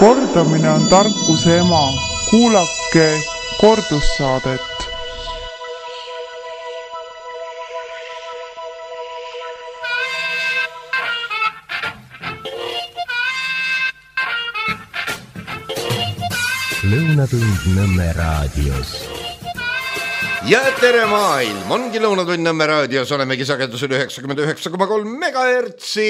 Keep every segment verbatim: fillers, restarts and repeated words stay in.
Kordamine on tarkuse ema. Kuulake kordussaadet. Lõunatund Nõmme raadios. Ja tere maailm, ongi Lõunatund Nõmme raadios, olemegi sagedusel üheksakümmend üheksa koma kolm megahertsi.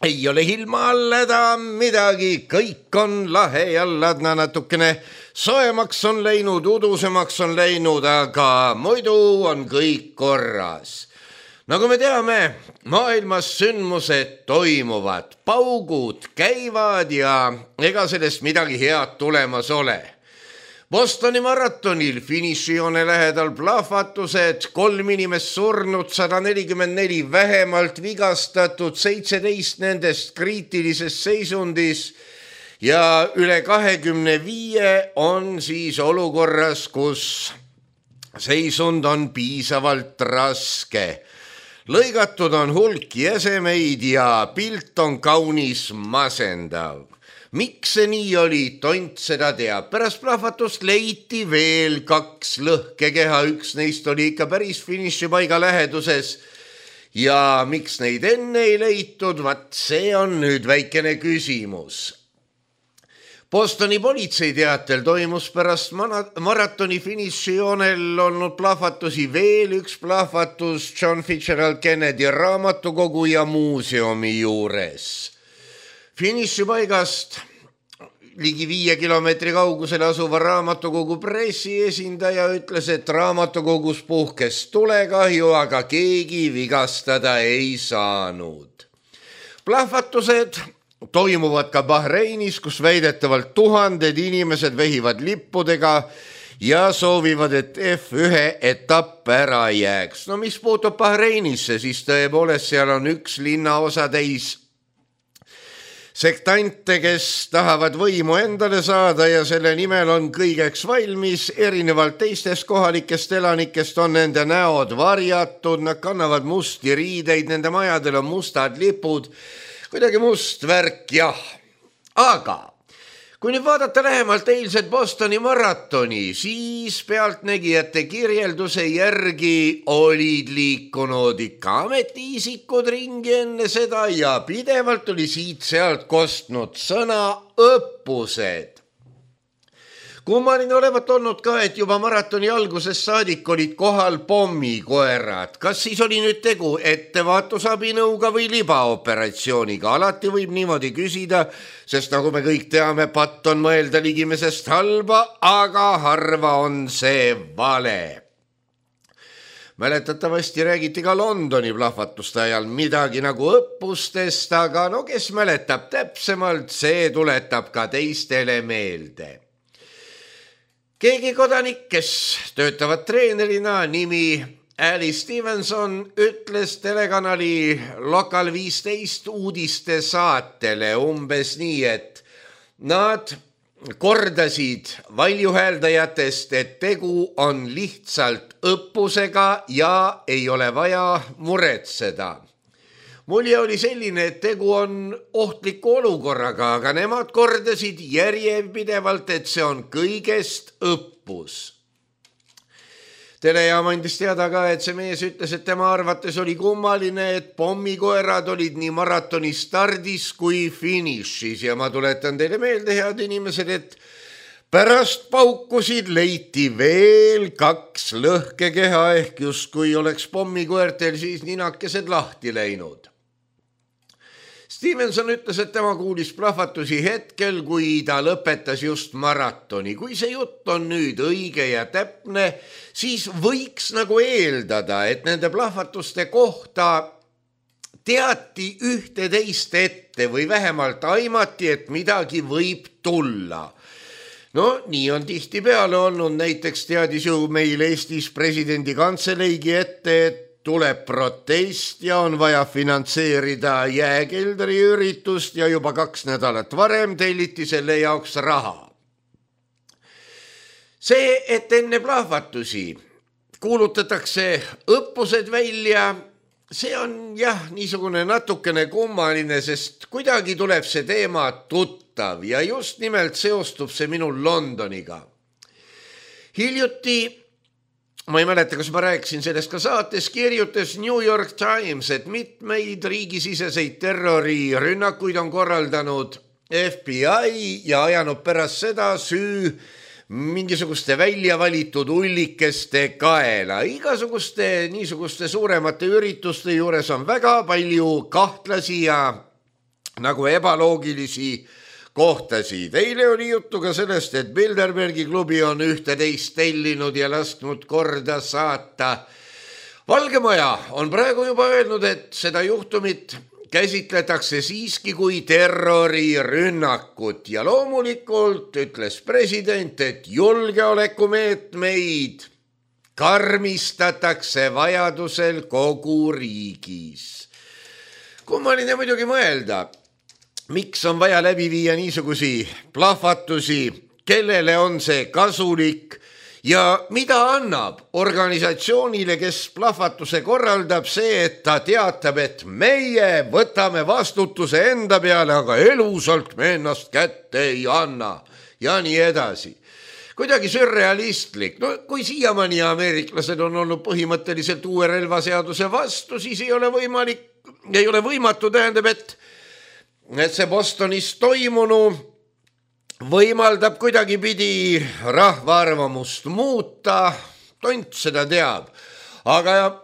Ei ole ilma alleda midagi, kõik on lahe ja ladna, natukene soemaks on läinud, udusemaks on läinud, aga muidu on kõik korras. Nagu me teame, maailmas sündmused toimuvad, paugud käivad ja ega sellest midagi head tulemas ole. Bostoni maratonil finišijoone lähedal plahvatused, kolm inimest surnud, sada nelikümmend neli vähemalt vigastatud, seitseteist nendest kriitilises seisundis ja üle kahekümne viie on siis olukorras, kus seisund on piisavalt raske. Lõigatud on hulk jäsemeid ja pilt on kaunis masendav. Miks see nii oli, tont seda teab. Pärast plahvatust leiti veel kaks lõhkekeha, üks neist oli ikka päris finišipaiga läheduses. Ja miks neid enne ei leitud, vaat see on nüüd väikene küsimus. Bostoni politsei teatel toimus pärast maratoni finišijoonel olnud plahvatusi veel üks plahvatus John Fitzgerald Kennedy raamatukogu ja muuseumi juures. Finišipaigast ligi viie kilomeetri kaugusel asuva raamatukogu pressiesindaja ütles, et raamatukogus puhkes tulekahju, aga keegi vigastada ei saanud. Plahvatused toimuvad ka Bahreinis, kus väidetavalt tuhanded inimesed vehivad lippudega ja soovivad, et F üks etapp ära jääks. No mis puutub Bahreinisse, siis tõepoolest seal on üks linnaosa täis sektante, kes tahavad võimu endale saada ja selle nimel on kõigeks valmis. Erinevalt teistest kohalikest elanikest on nende näod varjatud, nad kannavad musti riideid, nende majadel on mustad lipud, kuidagi must värk, jah. Aga kui nüüd vaadata lähemalt eilset Bostoni maratoni, siis pealtnägijate kirjelduse järgi olid liikunud ikka ametiisikud ringi enne seda ja pidevalt oli siit-sealt kostnud sõna õppused. Kummaline olevat olnud ka, et juba maratoni alguses saadik olid kohal pommikoerad. Kas siis oli nüüd tegu ettevaatusabinõuga või libaoperatsiooniga? Alati võib niimoodi küsida, sest nagu me kõik teame, patt on mõelda ligimesest halba, aga harva on see vale. Mäletatavasti räägiti ka Londoni plahvatuste ajal midagi nagu õppustest, aga no kes mäletab täpsemalt, see tuletab ka teistele meelde. Keegi kodanik, kes töötavad treenerina, nimi Ali Stevenson, ütles telekanali Lokal viisteist uudiste saatele umbes nii, et nad kordasid valjuhääldajatest, et tegu on lihtsalt õppusega ja ei ole vaja muretseda. Mulje oli selline, et tegu on ohtliku olukorraga, aga nemad kordasid järjepidevalt, et see on kõigest õppus. Telejaam andis teada ka, et see mees ütles, et tema arvates oli kummaline, et pommikoerad olid nii maratoni stardis kui finišis ja ma tuletan teile meelde, head inimesed, et pärast paukusid leiti veel kaks lõhkekeha ehk justkui oleks pommikoertel siis ninakesed lahti läinud. Stevenson ütles, et tema kuulis plahvatusi hetkel, kui ta lõpetas just maratoni. Kui see jutt on nüüd õige ja täpne, siis võiks nagu eeldada, et nende plahvatuste kohta teati ühte teist ette või vähemalt aimati, et midagi võib tulla. No nii on tihtipeale olnud, näiteks teadis ju meil Eestis presidendi kantseleigi ette, et tuleb protest ja on vaja finantseerida jääkeldri üritust ja juba kaks nädalat varem telliti selle jaoks raha. See, et enne plahvatusi kuulutatakse õppused välja, see on jah niisugune natukene kummaline, sest kuidagi tuleb see teema tuttav. tuttav ja just nimelt seostub see minul Londoniga. Hiljuti, ma ei mäleta, kas ma rääkisin sellest ka saates, kirjutas New York Times, et mitmeid riigisiseseid terrorirünnakuid on korraldanud F B I ja ajanud pärast seda süü mingisuguste välja valitud ullikeste kaela. Igasuguste niisuguste suuremate ürituste juures on väga palju kahtlasi ja nagu ebaloogilisi kohtasid. Eile oli juttu ka sellest, et Bilderbergi klubi on ühteteist tellinud ja lasknud korda saata. Valge Maja on praegu juba öelnud, et seda juhtumit käsitletakse siiski kui terrorirünnakut ja loomulikult ütles president, et julgeolekumeetmeid karmistatakse vajadusel kogu riigis. Kummaline muidugi mõelda, miks on vaja läbi viia niisugusi plahvatusi, kellele on see kasulik ja mida annab organisatsioonile, kes plahvatuse korraldab, see, et ta teatab, et meie võtame vastutuse enda peale, aga elusalt me ennast kätte ei anna ja nii edasi. Kuidagi sürrealistlik. No, kui siiamaani ameeriklased on olnud põhimõtteliselt uue relvaseaduse vastu, siis ei ole võimalik, ei ole võimatu, tähendab, et et see Bostonis toimunu võimaldab kuidagi pidi rahva arvamust muuta, tont seda teab. Aga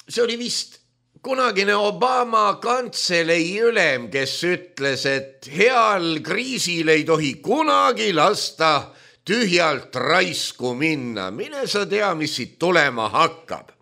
see oli vist kunagine Obama kantselei ülem, kes ütles, et heal kriisil ei tohi kunagi lasta tühjalt raisku minna. Mine sa tea, mis siit tulema hakkab.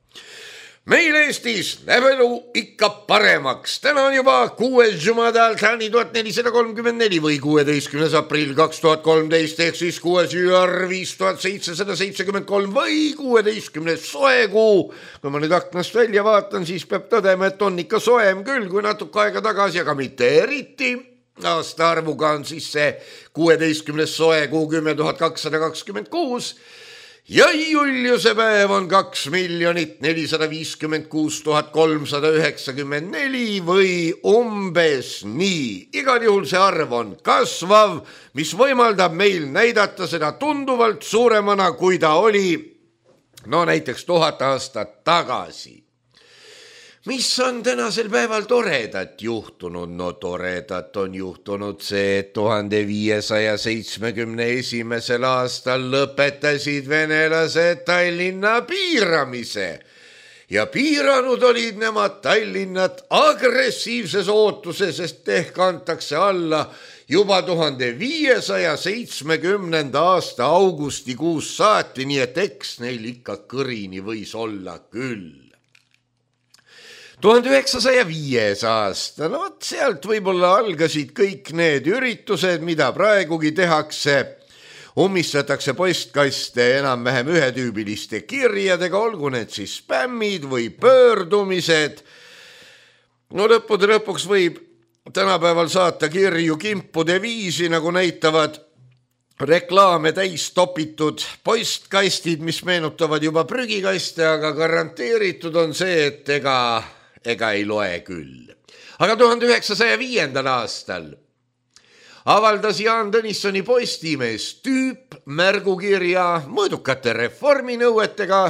Meil Eestis läheb elu ikka paremaks. Täna on juba kuues Jumadal Thani tuhat nelisada kolmkümmend neli või kuueteistkümnes aprill kaks tuhat kolmteist ehk siis kuues Jüar viis tuhat seitsesada seitsekümmend kolm või kuueteistkümnes soekuu. Kui ma nüüd aknast välja vaatan, siis peab tõdema, et on ikka soem küll kui natuke aega tagasi, aga mitte eriti. Aasta arvuga on siis see kuueteistkümnes soekuu kümme tuhat kakssada kakskümmend kuus. Ja Juliuse päev on kaks miljonit nelisada viiskümmend kuus tuhat kolmsada üheksakümmend neli või umbes nii. Igal juhul see arv on kasvav, mis võimaldab meil näidata seda tunduvalt suuremana, kui ta oli no näiteks tuhat aastat tagasi. Mis on tänasel päeval toredat juhtunud? No toredat on juhtunud see, et tuhande viiesaja seitsmekümne esimesel aastal lõpetasid venelased Tallinna piiramise ja piiranud olid nemad Tallinnat agressiivses ootuses, sest ehk antakse alla juba tuhande viiesaja seitsmekümnenda aasta augustikuus saati, nii et eks neil ikka kõrini võis olla küll. tuhande üheksasaja viies aasta, no võt sealt võib-olla algasid kõik need üritused, mida praegugi tehakse. Ummistatakse postkaste enam-vähem ühetüübiliste kirjadega, olgu need siis spämmid või pöördumised. No lõppude lõpuks võib tänapäeval saata kirju kimpude viisi, nagu näitavad reklaame täis topitud postkastid, mis meenutavad juba prügikaste, aga garanteeritud on see, et ega ega ei loe küll. Aga tuhande üheksasaja viiendal aastal avaldas Jaan Tõnissoni Postimees tüüpmärgukirja mõõdukate reforminõuetega,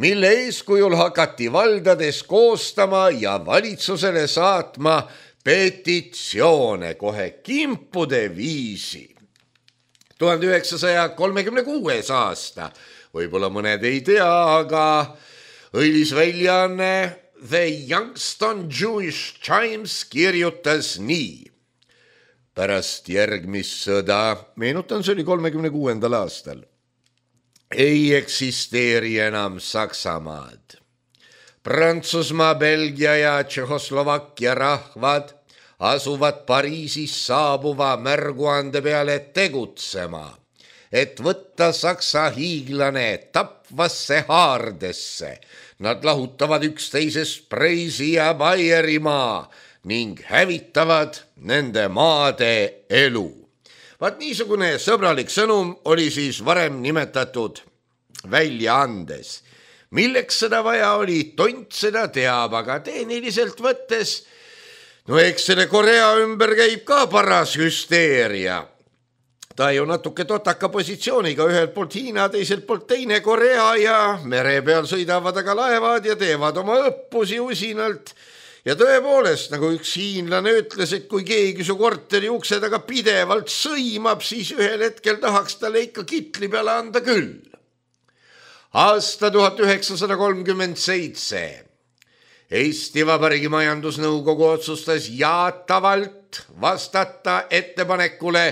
mille eeskujul hakati valdades koostama ja valitsusele saatma petitsioone kohe kimpude viisi. tuhande üheksasaja kolmekümne kuues aasta, võib-olla mõned ei tea, aga õilis väljaanne The Youngstown Jewish Times kirjutas nii. Pärast järgmist sõda, meenutan, see oli kolmekümne kuuendal aastal, ei eksisteeri enam Saksamaad. Prantsusmaa, Belgia ja Tšehhoslovakkia rahvad asuvad Pariisis saabuva märguande peale tegutsema, et võtta Saksa hiiglane tapvasse haardesse. Nad lahutavad üksteisest Preisi ja Baierimaa ning hävitavad nende maade elu. Vaat niisugune sõbralik sõnum oli siis varem nimetatud väljaandes. Milleks seda vaja oli, tont seda teab, aga tehniliselt võttes, no eks selle Korea ümber käib ka paras hüsteeria. ta ju natuke totaka positsiooniga, ühelt poolt Hiina, teiselt poolt teine Korea ja mere peal sõidavad aga laevad ja teevad oma õppusi usinalt. Ja tõepoolest, nagu üks hiinlane ütles, et kui keegi su korteri ukse taga pidevalt sõimab, siis ühel hetkel tahaks talle ikka kitli peale anda küll. Aasta tuhat üheksasada kolmkümmend seitse. Eesti Vabariigi Majandusnõukogu otsustas jaatavalt vastata ettepanekule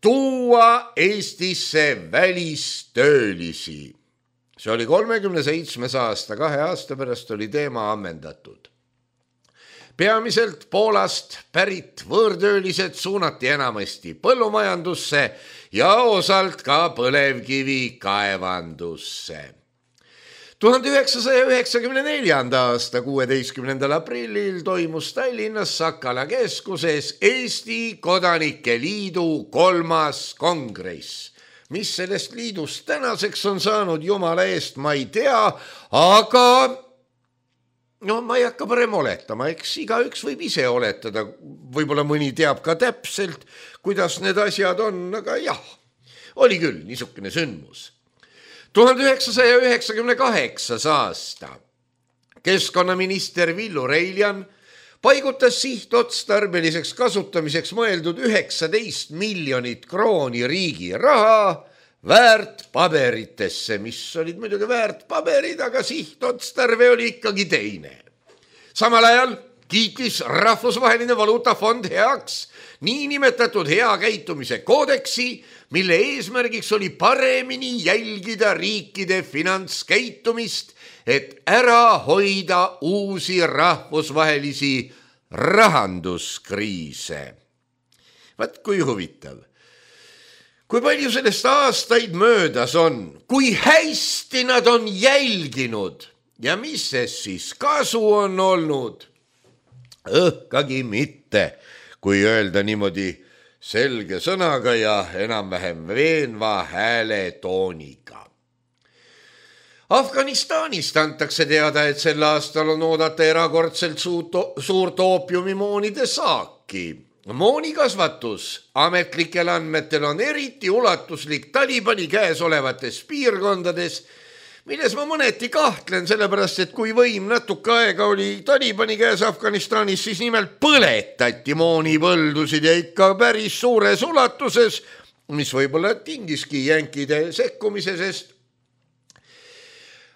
tuua Eestisse välistöölisi. See oli kolmekümne seitsmes aasta, kahe aasta pärast oli teema ammendatud. Peamiselt Poolast pärit võõrtöölised suunati enamasti põllumajandusse ja osalt ka põlevkivi kaevandusse. tuhande üheksasaja üheksakümne neljanda aasta kuueteistkümnendal aprillil toimus Tallinnas Sakala keskuses Eesti Kodanike Liidu kolmas kongress. Mis sellest liidust tänaseks on saanud, jumala eest ma ei tea, aga no ma ei hakka parem oletama, eks igaüks võib ise oletada, võib-olla mõni teab ka täpselt, kuidas need asjad on, aga jah, oli küll niisugune sündmus. tuhande üheksasaja üheksakümne kaheksas aasta keskkonnaminister Villu Reiljan paigutas sihtotstarbeliseks kasutamiseks mõeldud üheksateist miljonit krooni riigi raha väärtpaberitesse, mis olid muidugi väärtpaberid, aga sihtotstarve oli ikkagi teine. Samal ajal kiitis Rahvusvaheline Valuutafond heaks niinimetatud hea käitumise koodeksi, mille eesmärgiks oli paremini jälgida riikide finantskäitumist, et ära hoida uusi rahvusvahelisi rahanduskriise. Vaat kui huvitav. Kui palju sellest aastaid möödas on, kui hästi nad on jälginud ja mis siis kasu on olnud? Õhkagi mitte, kui öelda niimoodi selge sõnaga ja enam-vähem veenva hääletooniga. Afganistanist antakse teada, et sel aastal on oodata erakordselt suurt oopiumimoonide saaki. Moonikasvatus ametlikel andmetel on eriti ulatuslik Talibani käes olevates piirkondades, milles ma mõneti kahtlen, sellepärast, et kui võim natuke aega oli Talibani käes Afganistanis, siis nimelt põletati moonipõldusid ja ikka päris suures ulatuses, mis võib-olla tingiski jänkide sekkumise, sest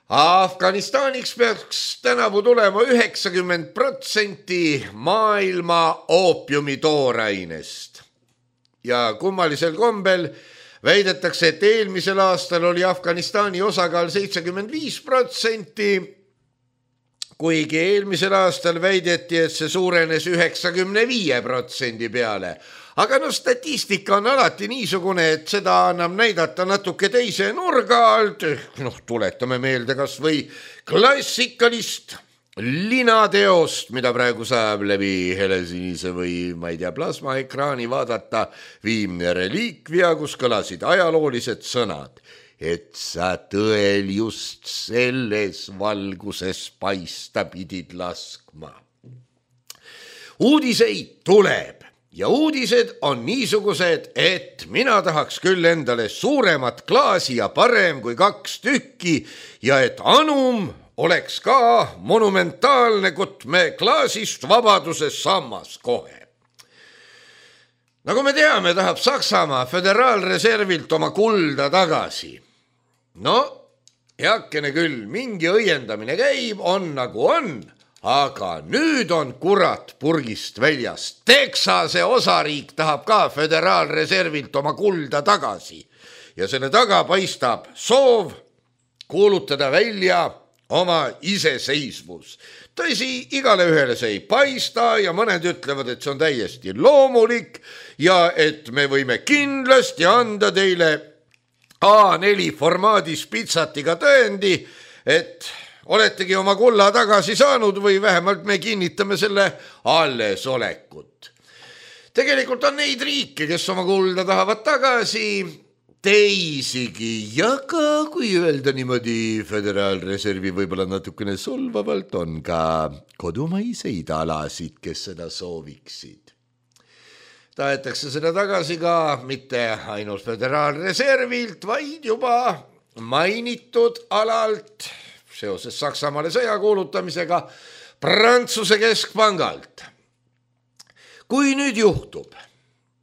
Afganistaniks peaks tänavu tulema üheksakümmend protsenti maailma oopiumi toorainest. Ja kummalisel kombel väidetakse, et eelmisel aastal oli Afganistani osakaal seitsekümmend viis protsenti, kuigi eelmisel aastal väideti, et see suurenes üheksakümne viie protsendi peale. Aga no statistika on alati niisugune, et seda annab näidata natuke teise nurga alt. Noh, tuletame meelde kas või klassikalist linateost, mida praegu saab läbi helesinise või, ma ei tea, plasmaekraani vaadata, Viimne reliikvia, kus kõlasid ajaloolised sõnad, et sa tõel just selles valguses paista pidid laskma. Uudiseid tuleb. Ja uudised on niisugused, et mina tahaks küll endale suuremat klaasi ja parem kui kaks tükki ja et anum oleks ka monumentaalne kutme klaasist vabaduses sammas kohe. Nagu me teame, tahab Saksamaa föderaalreservilt oma kulda tagasi. No, heakene küll, mingi õiendamine käib, on nagu on. Aga nüüd on kurat purgist väljas. Texase osariik tahab ka föderaalreservilt oma kulda tagasi. Ja selle taga paistab soov kuulutada välja oma iseseisvus. Tõsi, igale ühele see ei paista ja mõned ütlevad, et see on täiesti loomulik ja et me võime kindlasti anda teile A neli formaadis pitsatiga tõendi, et oletegi oma kulla tagasi saanud või vähemalt me kinnitame selle allesolekut. Tegelikult on neid riike, kes oma kulda tahavad tagasi, teisigi, ja ka kui öelda niimoodi föderaalreservi võib-olla natukene solvavalt, on ka kodumaiseid alasid, kes seda sooviksid. tahetakse seda tagasi ka mitte ainult föderaalreservilt, vaid juba mainitud alalt seoses Saksamaale sõja kuulutamisega Prantsuse keskpangalt. Kui nüüd juhtub,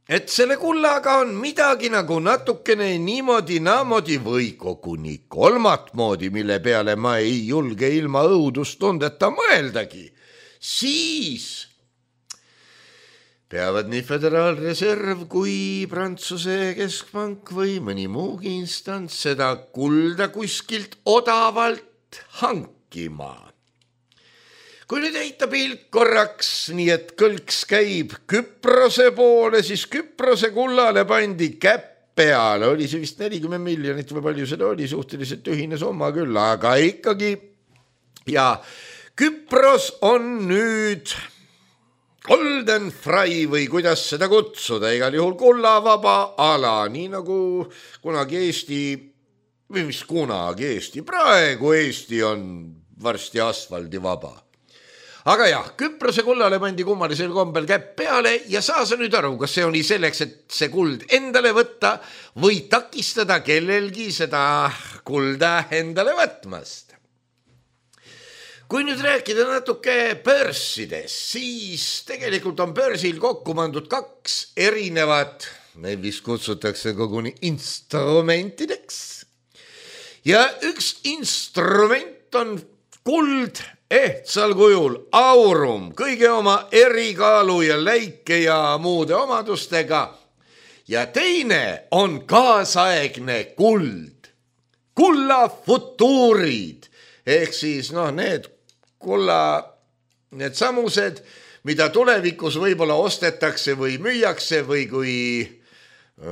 et selle kullaga on midagi nagu natukene niimoodi naamodi või koguni kolmat moodi, mille peale ma ei julge ilma õudustundeta mõeldagi, siis peavad nii Föderaalreserv kui Prantsuse keskpank või mõni muugi instants seda kulda kuskilt odavalt hankima. Kui nüüd heita pilk korraks, nii et kõlks käib Küprose poole, siis Küprose kullale pandi käpp peale. Oli see vist nelikümmend miljonit või palju seda oli, suhteliselt ühine summa küll, aga ikkagi. Ja Küpros on nüüd golden fry või kuidas seda kutsuda, igal juhul kullavaba ala, nii nagu kunagi Eesti, või mis kunagi Eesti, praegu Eesti on varsti asfaldivaba. Aga jah, Küprose kullale pandi kummalisel kombel käpp peale ja saa sa nüüd aru, kas see oli selleks, et see kuld endale võtta või takistada kellelgi seda kulda endale võtmast. Kui nüüd rääkida natuke börsidest, siis tegelikult on börsil kokku pandud kaks erinevat, neid vist kutsutakse koguni instrumentideks. Ja üks instrument on kuld ehtsal kujul, aurum, kõige oma erikaalu ja läike ja muude omadustega. Ja teine on kaasaegne kuld, kulla futuurid, ehk siis noh, need kulla, need samused, mida tulevikus võib-olla ostetakse või müüakse või kui,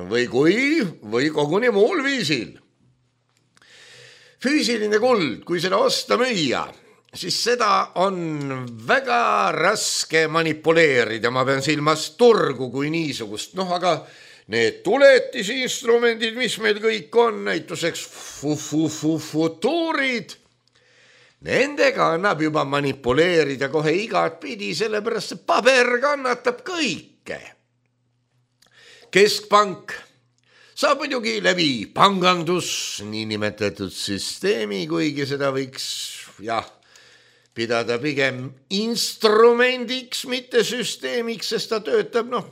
või kui, või koguni muul viisil. Füüsiline kuld, kui seda osta müüa, siis seda on väga raske manipuleerida, ma pean silmas turgu kui niisugust. Noh, aga need tuletisinstrumendid, mis meil kõik on, näituseks futuurid, nendega annab juba manipuleerida kohe igat pidi, sellepärast see paber kannatab kõike. Keskpank saab muidugi läbi pangandus, niinimetatud süsteemi, kuigi seda võiks, jah, pidada pigem instrumendiks, mitte süsteemiks, sest ta töötab, noh,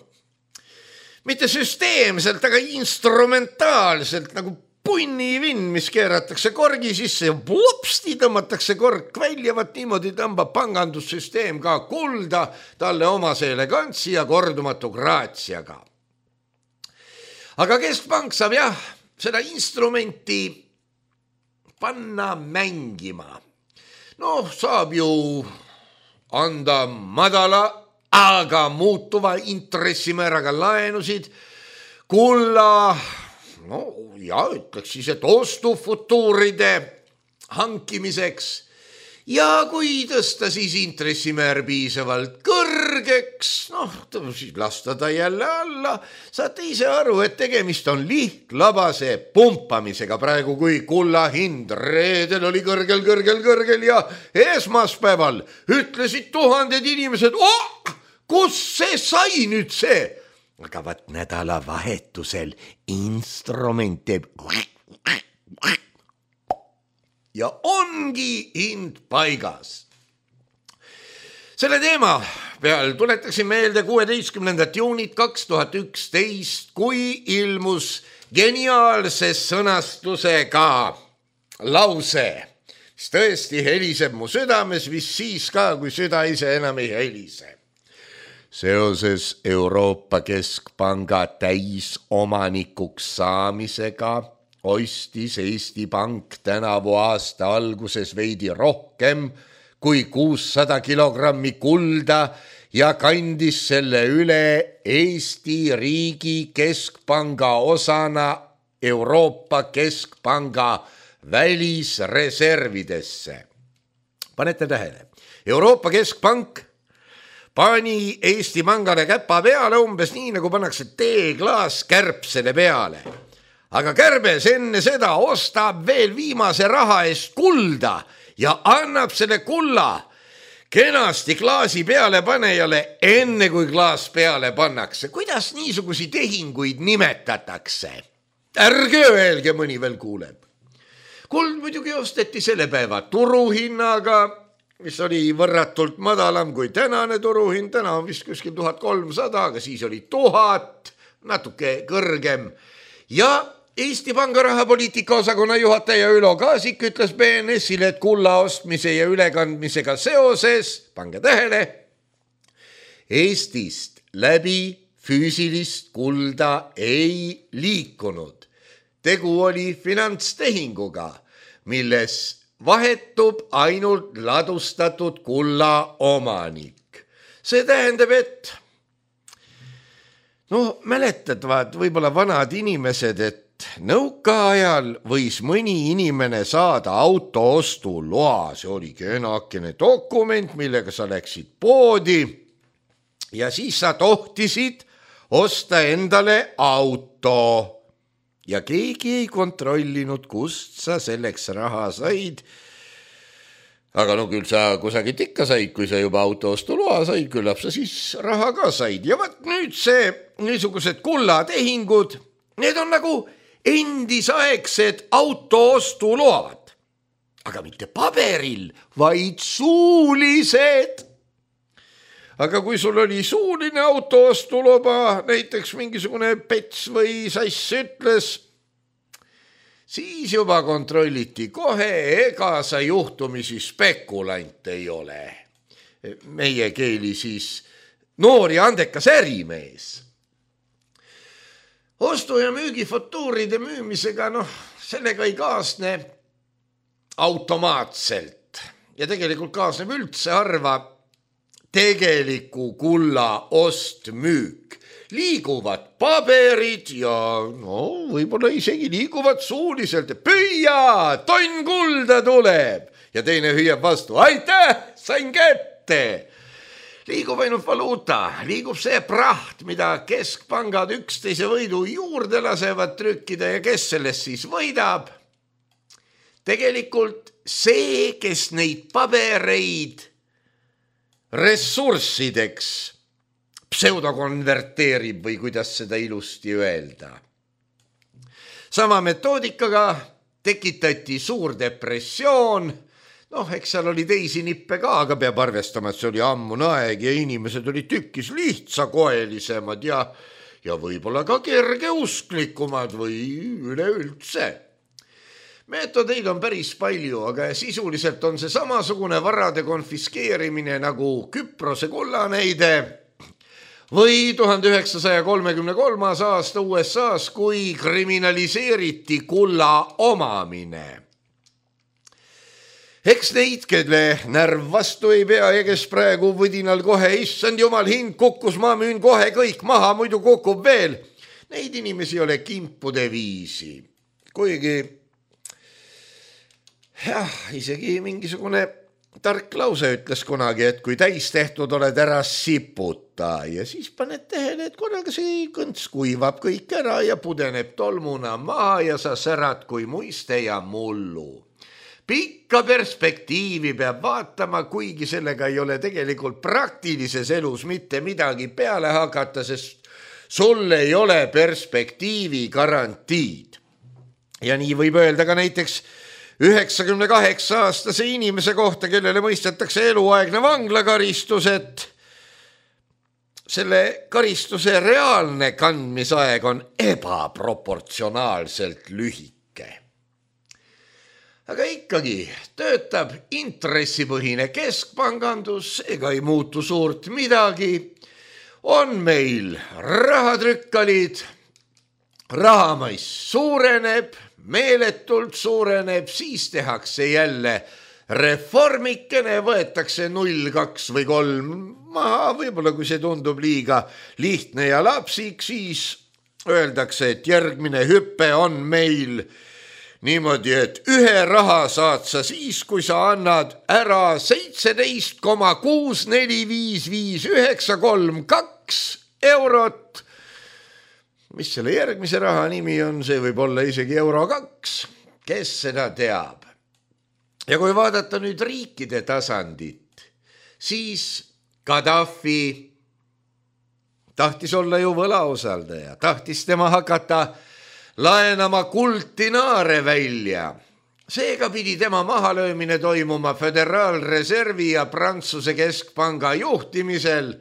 mitte süsteemselt, aga instrumentaalselt, nagu punnivinn, mis keeratakse korgi sisse ja plopsti tõmmatakse kork välja, vaat niimoodi tõmbab pangandussüsteem ka kulda talle omase elegantsi ja kordumatu graatsiaga. Aga keskpank saab jah, seda instrumenti panna mängima. Noh, saab ju anda madala, aga muutuva intressimääraga laenusid, kulla, no ja ütleks siis, et ostufutuuride hankimiseks. Ja kui tõsta siis intressimäär piisavalt kõrgeks, noh, siis lasta ta jälle alla, saate ise aru, et tegemist on lihtlabase pumpamisega praegu, kui kulla hind reedel oli kõrgel, kõrgel, kõrgel ja esmaspäeval ütlesid tuhanded inimesed, oh, kus see sai nüüd see? Aga vaat nädalavahetusel instrument teeb ja ongi hind paigas. Selle teema peal tuletaksin meelde kuueteistkümnendat juunit kaks tuhat üksteist, kui ilmus geniaalse sõnastusega lause, mis tõesti heliseb mu südames, vist siis ka, kui süda ise enam ei helise. Seoses Euroopa Keskpanga täisomanikuks saamisega ostis Eesti Pank tänavu aasta alguses veidi rohkem kui kuussada kilogrammi kulda ja kandis selle üle Eesti riigi keskpanga osana Euroopa Keskpanga välisreservidesse. Panete tähele, Euroopa Keskpank pani Eesti Pangale käpa peale umbes nii, nagu pannakse teeklaas kärbsele peale. Aga kärbes enne seda ostab veel viimase raha eest kulda ja annab selle kulla kenasti klaasi peale panejale enne kui klaas peale pannakse. Kuidas niisugusi tehinguid nimetatakse? Ärge öelge, mõni veel kuuleb. Kuld muidugi osteti selle päeva turuhinnaga, mis oli võrratult madalam kui tänane turuhind. Täna on vist kuskil tuhat kolmsada, aga siis oli tuhat, natuke kõrgem. Ja Eesti Panga rahapoliitika osakonna juhataja Ülo Kaasik ütles B N S-ile, et kulla ostmise ja ülekandmisega seoses, pange tähele, Eestist läbi füüsilist kulda ei liikunud. Tegu oli finantstehinguga, milles vahetub ainult ladustatud kulla omanik. See tähendab, et no mäletavad võib-olla vanad inimesed, et nõukaajal võis mõni inimene saada auto ostu loa. See oli kenakene dokument, millega sa läksid poodi ja siis sa tohtisid osta endale auto. Ja keegi ei kontrollinud, kust sa selleks raha said. Aga no küll sa kusagilt ikka said, kui sa juba auto ostu loa said, küllap sa siis raha ka said. Ja võt nüüd see niisugused kullatehingud, need on nagu endisaegsed auto ostu load, aga mitte paberil, vaid suulised. Aga kui sul oli suuline auto ostu loba, näiteks mingisugune pets või sass ütles, siis juba kontrolliti kohe, ega sa juhtumisi spekulant ei ole. Meie keeli siis noor ja andekas ärimees. Ostu- ja müügifutuuride müümisega, noh, sellega ei kaasne automaatselt ja tegelikult kaasneb üldse harva tegeliku kulla ost-müük. Liiguvad paberid ja no võib-olla isegi liiguvad suuliselt. Püüa, tonn kulda tuleb ja teine hüüab vastu. Aitäh, sain kätte. Liigub ainult valuuta, liigub see praht, mida keskpangad üksteise võidu juurde lasevad trükkida ja kes sellest siis võidab. Tegelikult see, kes neid pabereid ressurssideks pseudokonverteerib või kuidas seda ilusti öelda. Sama metoodikaga tekitati suur depressioon. Noh, eks seal oli teisi nippe ka, aga peab arvestama, et see oli ammune aeg ja inimesed olid tükkis lihtsakoelisemad ja, ja võib-olla ka kergeusklikumad või üleüldse. Meetodeid on päris palju, aga sisuliselt on see samasugune varade konfiskeerimine nagu Küprose kullanäide või tuhande üheksasaja kolmekümne kolmas aasta U S A-s, kui kriminaliseeriti kulla omamine. Eks neid, kelle närv vastu ei pea ja kes praegu võdinal kohe, issand jumal, hind kukkus, ma müün kohe kõik maha, muidu kukub veel. Neid inimesi ei ole kimpude viisi. Kuigi, jah, isegi mingisugune tark lause ütles kunagi, et kui täis tehtud oled, ära siputa ja siis paned tähele, et korraga see kõnts kuivab kõik ära ja pudeneb tolmuna maha ja sa särad kui muiste ja mullu. Pikka perspektiivi peab vaatama, kuigi sellega ei ole tegelikult praktilises elus mitte midagi peale hakata, sest sul ei ole perspektiivi garantiid. Ja nii võib öelda ka näiteks üheksakümne kaheksa aastase inimese kohta, kellele mõistetakse eluaegne vanglakaristus, et selle karistuse reaalne kandmisaeg on ebaproportsionaalselt lühike. Aga ikkagi töötab intressipõhine keskpangandus, ega ei muutu suurt midagi. On meil rahatrükkalid, rahamais suureneb, meeletult suureneb, siis tehakse jälle reformikene, võetakse null, kaks või kolm maha, võib-olla kui see tundub liiga lihtne ja lapsik, siis öeldakse, et järgmine hüppe on meil niimoodi, et ühe raha saad sa siis, kui sa annad ära seitseteist koma kuus neli viis viis üheksa kolm kaks eurot. Mis selle järgmise raha nimi on, see võib olla isegi euro kaks, kes seda teab. Ja kui vaadata nüüd riikide tasandit, siis Gaddafi tahtis olla ju võlausaldaja, tahtis tema hakata laenama kulddinaare välja. Seega pidi tema mahalöömine toimuma Föderaalreservi ja Prantsuse keskpanga juhtimisel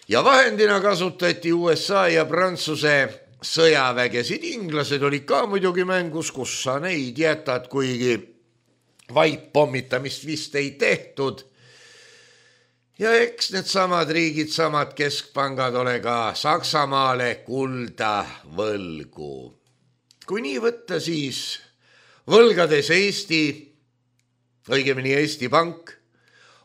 ja vahendina kasutati U S A ja Prantsuse sõjavägesid. Inglased olid ka muidugi mängus, kus sa neid jätad, kuigi vaippommitamist vist ei tehtud. Ja eks need samad riigid, samad keskpangad ole ka Saksamaale kulda võlgu. Kui nii võtta, siis võlgades Eesti, õigemini Eesti Pank,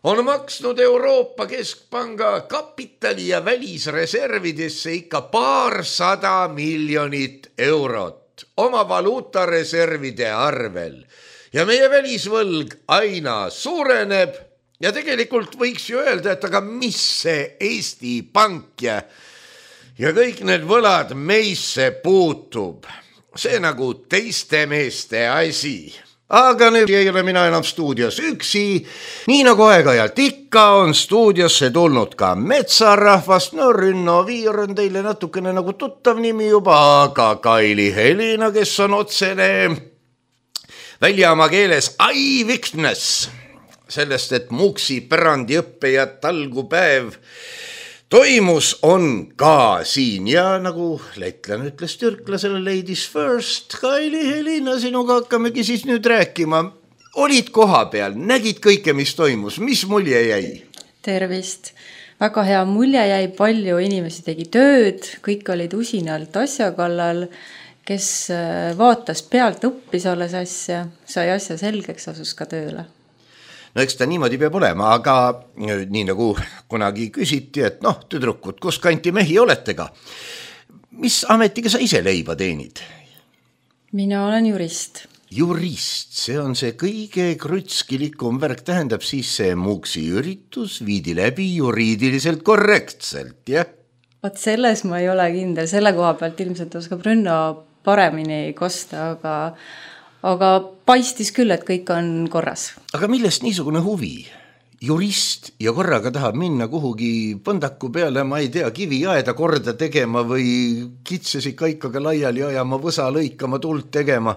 on maksnud Euroopa Keskpanga kapitali ja välisreservidesse ikka paarsada miljonit eurot oma valuutareservide arvel. Ja meie välisvõlg aina suureneb. Ja tegelikult võiks ju öelda, et aga mis see Eesti Pank ja, ja kõik need võlad meisse puutub. See nagu teiste meeste asi. Aga nüüd ei ole mina enam stuudios üksi. Nii nagu aeg-ajalt ikka on stuudiosse tulnud ka metsarahvast. No Rünno Viir on teile natukene nagu tuttav nimi juba, aga Kaili Helina, kes on otsene välja oma keeles eyewitness sellest, et Muuksi pärandiõppe ja talgupäev toimus, on ka siin. Ja nagu lätlane ütles türklasele ladies first, Kaili Helina, sinuga hakkamegi siis nüüd rääkima. Olid koha peal, nägid kõike, mis toimus, mis mulje jäi? Tervist. Väga hea mulje jäi, palju inimesi tegi tööd, kõik olid usinalt asja kallal, kes vaatas pealt, õppis alles asja, sai asja selgeks, asus ka tööle. No eks ta niimoodi peab olema, aga nii nagu kunagi küsiti, et noh, tüdrukud, kus kanti mehi oletega? Mis ametiga sa ise leiba teenid? Mina olen jurist. Jurist, see on see kõige krutskilikum värk, tähendab siis see Muuksi üritus viidi läbi juriidiliselt korrektselt, jah? Vaat selles ma ei ole kindel, selle koha pealt ilmselt oskab Rünno paremini kosta, aga aga paistis küll, et kõik on korras. Aga millest niisugune huvi? Jurist ja korraga tahab minna kuhugi põndaku peale, ma ei tea, kiviaeda korda tegema või kitsesi kaikaga laiali ajama, võsa lõikama, tuld tegema.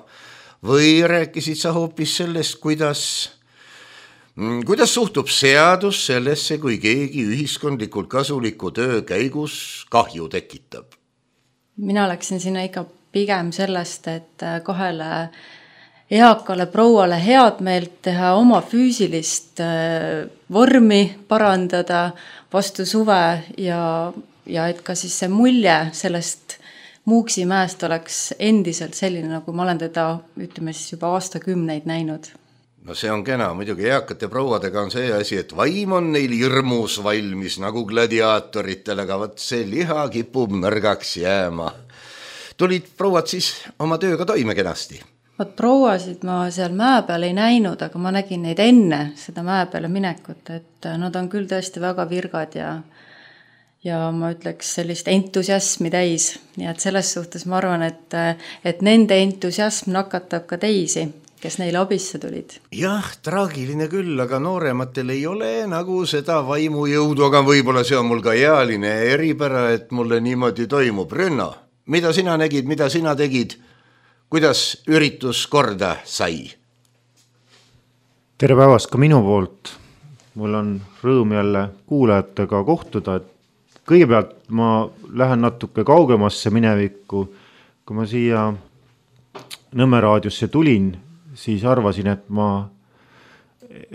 Või rääkisid sa hoopis sellest, kuidas, kuidas suhtub seadus sellesse, kui keegi ühiskondlikult kasuliku töö käigus kahju tekitab? Mina läksin sinna ikka pigem sellest, et kahele eakale prouale head meelt teha, oma füüsilist vormi parandada vastu suve ja, ja et ka siis see mulje sellest Muuksi mäest oleks endiselt selline, nagu ma olen teda, ütleme siis juba aastakümneid näinud. No see on kena, muidugi eakate prouadega on see asi, et vaim on neil hirmus valmis nagu gladiaatoritel, aga võt see liha kipub nõrgaks jääma. Tulid prouad siis oma tööga toime kenasti? Vaat prouasid ma seal mäe peal ei näinud, aga ma nägin neid enne seda mäe peale minekut, et nad on küll tõesti väga virgad ja, ja ma ütleks sellist entusiasmi täis. Nii et selles suhtes ma arvan, et, et nende entusiasm nakatab ka teisi, kes neile abisse tulid. Jah, traagiline küll, aga noorematel ei ole nagu seda vaimujõudu, aga võib-olla see on mul ka ealine eripära, et mulle niimoodi toimub. Rünno, mida sina nägid, mida sina tegid? Kuidas üritus korda sai? Tere päevast ka minu poolt. Mul on rõõm jälle kuulajatega kohtuda. Kõigepealt ma lähen natuke kaugemasse minevikku. Kui ma siia Nõmme raadiosse tulin, siis arvasin, et ma,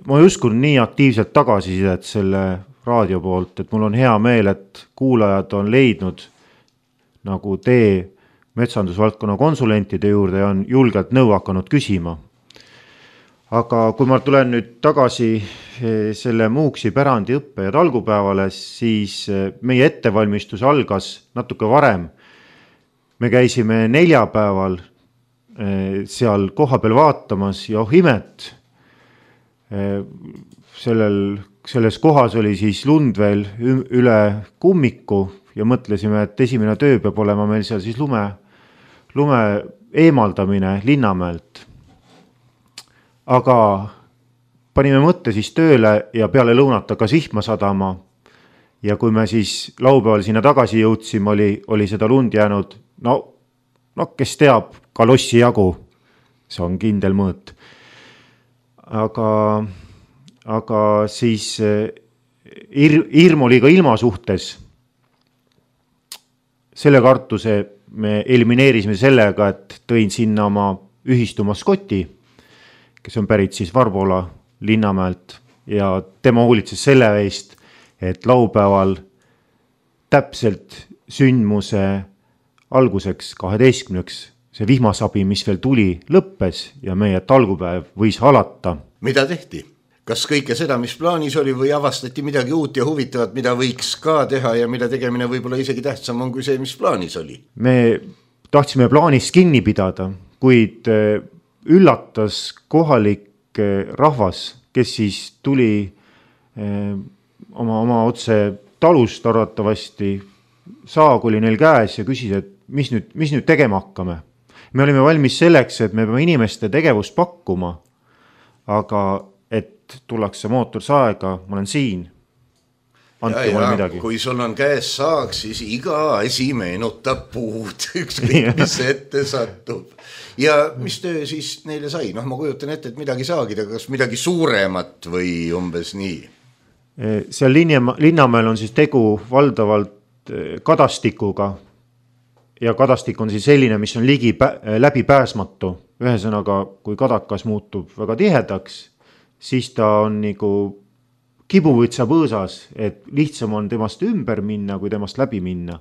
ma ei uskun nii aktiivselt tagasisidet selle raadio poolt, et mul on hea meel, et kuulajad on leidnud nagu tee metsandusvaldkonna konsulentide juurde ja on julgelt nõu hakanud küsima. Aga kui ma tulen nüüd tagasi selle Muuksi pärandiõppe ja talgupäevale, siis meie ettevalmistus algas natuke varem. Me käisime neljapäeval seal koha peal vaatamas ja oh imet. Sellel, selles kohas oli siis lund veel üle kummiku ja mõtlesime, et esimene töö peab olema meil seal siis lume lume eemaldamine Linnamäelt. Aga panime mõtte siis tööle ja peale lõunat hakkas vihma sadama. Ja kui me siis laupäeval sinna tagasi jõudsime, oli, oli seda lund jäänud, no, no kes teab, kalossi jagu, see on kindel mõõt. Aga, aga siis ir, hirm oli ka ilma suhtes. Selle kartuse me elimineerisime sellega, et tõin sinna oma ühistu maskoti, kes on pärit siis Varbola Linnamäelt ja tema hoolitses selle eest, et laupäeval täpselt sündmuse alguseks kaheteistkümneks see vihmasabi, mis veel tuli, lõppes ja meie talgupäev võis alata. Mida tehti? Kas kõike seda, mis plaanis oli või avastati midagi uut ja huvitavat, mida võiks ka teha ja mida tegemine võib-olla isegi tähtsam on kui see, mis plaanis oli? Me tahtsime plaanist kinni pidada, kuid üllatas kohalik rahvas, kes siis tuli oma, oma otse talust arvatavasti, saag oli neil käes ja küsis, et mis nüüd, mis nüüd tegema hakkame. Me olime valmis selleks, et me peame inimeste tegevust pakkuma, aga et tullakse mootorsaega, ma olen siin. Andke mulle midagi. Kui sul on käes saag, siis iga asi meenutab puud, ükskõik mis ette satub. Ja mis töö siis neile sai? Noh, ma kujutan ette, et midagi saagida, kas midagi suuremat või umbes nii? Seal Linnamäel on siis tegu valdavalt kadastikuga ja kadastik on siis selline, mis on ligi pä- läbi pääsmatu. Ühesõnaga, kui kadakas muutub väga tihedaks, siis ta on nagu kibuvõtsa põõsas, et lihtsam on temast ümber minna, kui temast läbi minna.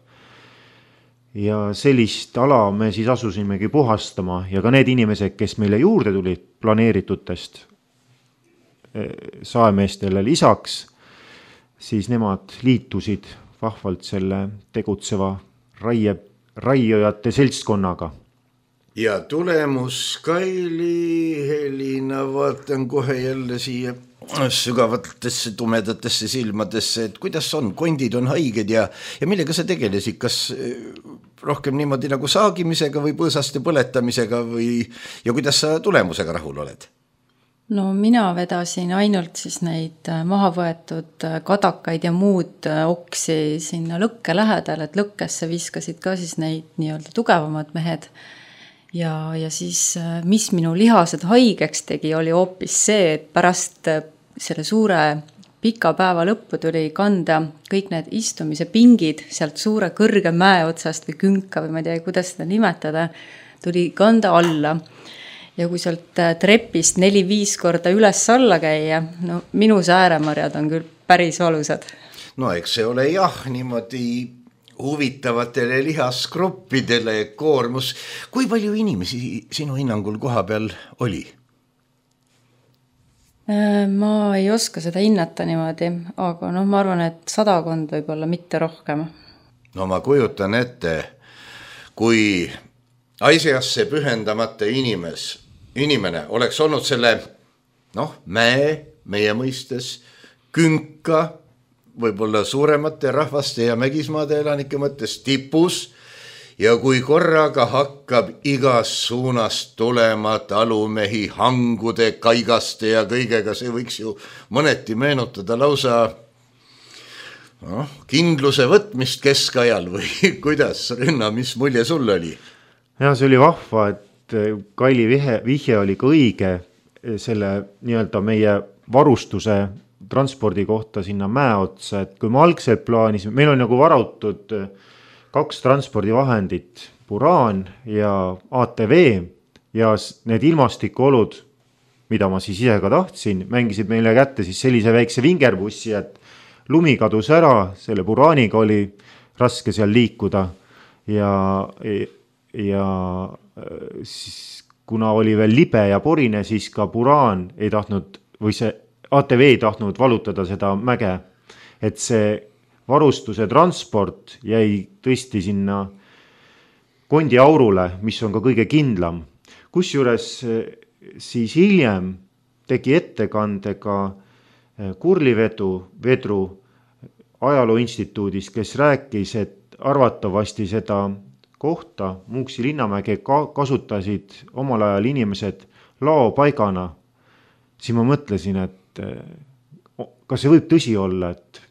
Ja sellist ala me siis asusimegi puhastama ja ka need inimesed, kes meile juurde tulid planeeritutest saemeestele lisaks, siis nemad liitusid vahvalt selle tegutseva raie, raiojate seltskonnaga. Ja tulemus, Kaili, Helina, vaatan kohe jälle siia sügavatesse tumedatesse silmadesse, et kuidas on, kondid on haiged ja, ja millega sa tegelesid, kas rohkem niimoodi nagu saagimisega või põõsaste põletamisega või, ja kuidas sa tulemusega rahul oled? No mina vedasin ainult siis neid maha võetud kadakaid ja muud oksi sinna lõkke lähedal, et lõkkesse viskasid ka siis neid nii-öelda tugevamad mehed. Ja, ja siis, mis minu lihased haigeks tegi, oli hoopis see, et pärast selle suure pika päeva lõppu tuli kanda kõik need istumise pingid sealt suure kõrge mäe otsast või künka või ma ei tea, kuidas seda nimetada, tuli kanda alla. Ja kui sealt trepist neli-viis korda üles alla käia, no minu sääremarjad on küll päris valusad. No eks see ole jah, niimoodi huvitavatele lihasgruppidele koormus. Kui palju inimesi sinu hinnangul koha peal oli? Ma ei oska seda hinnata niimoodi, aga no ma arvan, et sadakond võib olla mitte rohkem. No ma kujutan ette, kui asjasse pühendamata inimes, inimene oleks olnud selle noh, mäe, meie mõistes, künka, võib-olla suuremate rahvaste ja mägismaade elanike mõttes tipus ja kui korraga hakkab igas suunast tulema talumehi hangude, kaigaste ja kõigega, see võiks ju mõneti meenutada lausa no, kindluse võtmist keskajal või kuidas, Rünna, mis mulje sul oli? Ja see oli vahva, et Kaili vihje, vihje oli ka õige selle nii-öelda meie varustuse transpordi kohta sinna mäe otsa, et kui me algselt plaanisime, meil on nagu varautud kaks transpordivahendit, Buraan ja A T V ja need ilmastikuolud, mida ma siis ise ka tahtsin, mängisid meile kätte siis sellise väikse vingerbussi, et lumi kadus ära, selle Buraaniga oli raske seal liikuda ja, ja siis kuna oli veel libe ja porine, siis ka Buraan ei tahtnud või see A T V ei tahtnud valutada seda mäge, et see varustuse transport jäi tõesti sinna kondi aurule, mis on ka kõige kindlam. Kusjuures siis hiljem tegi ettekande ka Kurlivedu vedru ajaloo instituudis, kes rääkis, et arvatavasti seda kohta Muuksi Linnamäge kasutasid omal ajal inimesed laopaigana. Siis ma mõtlesin, et et kas see võib tõsi olla, et,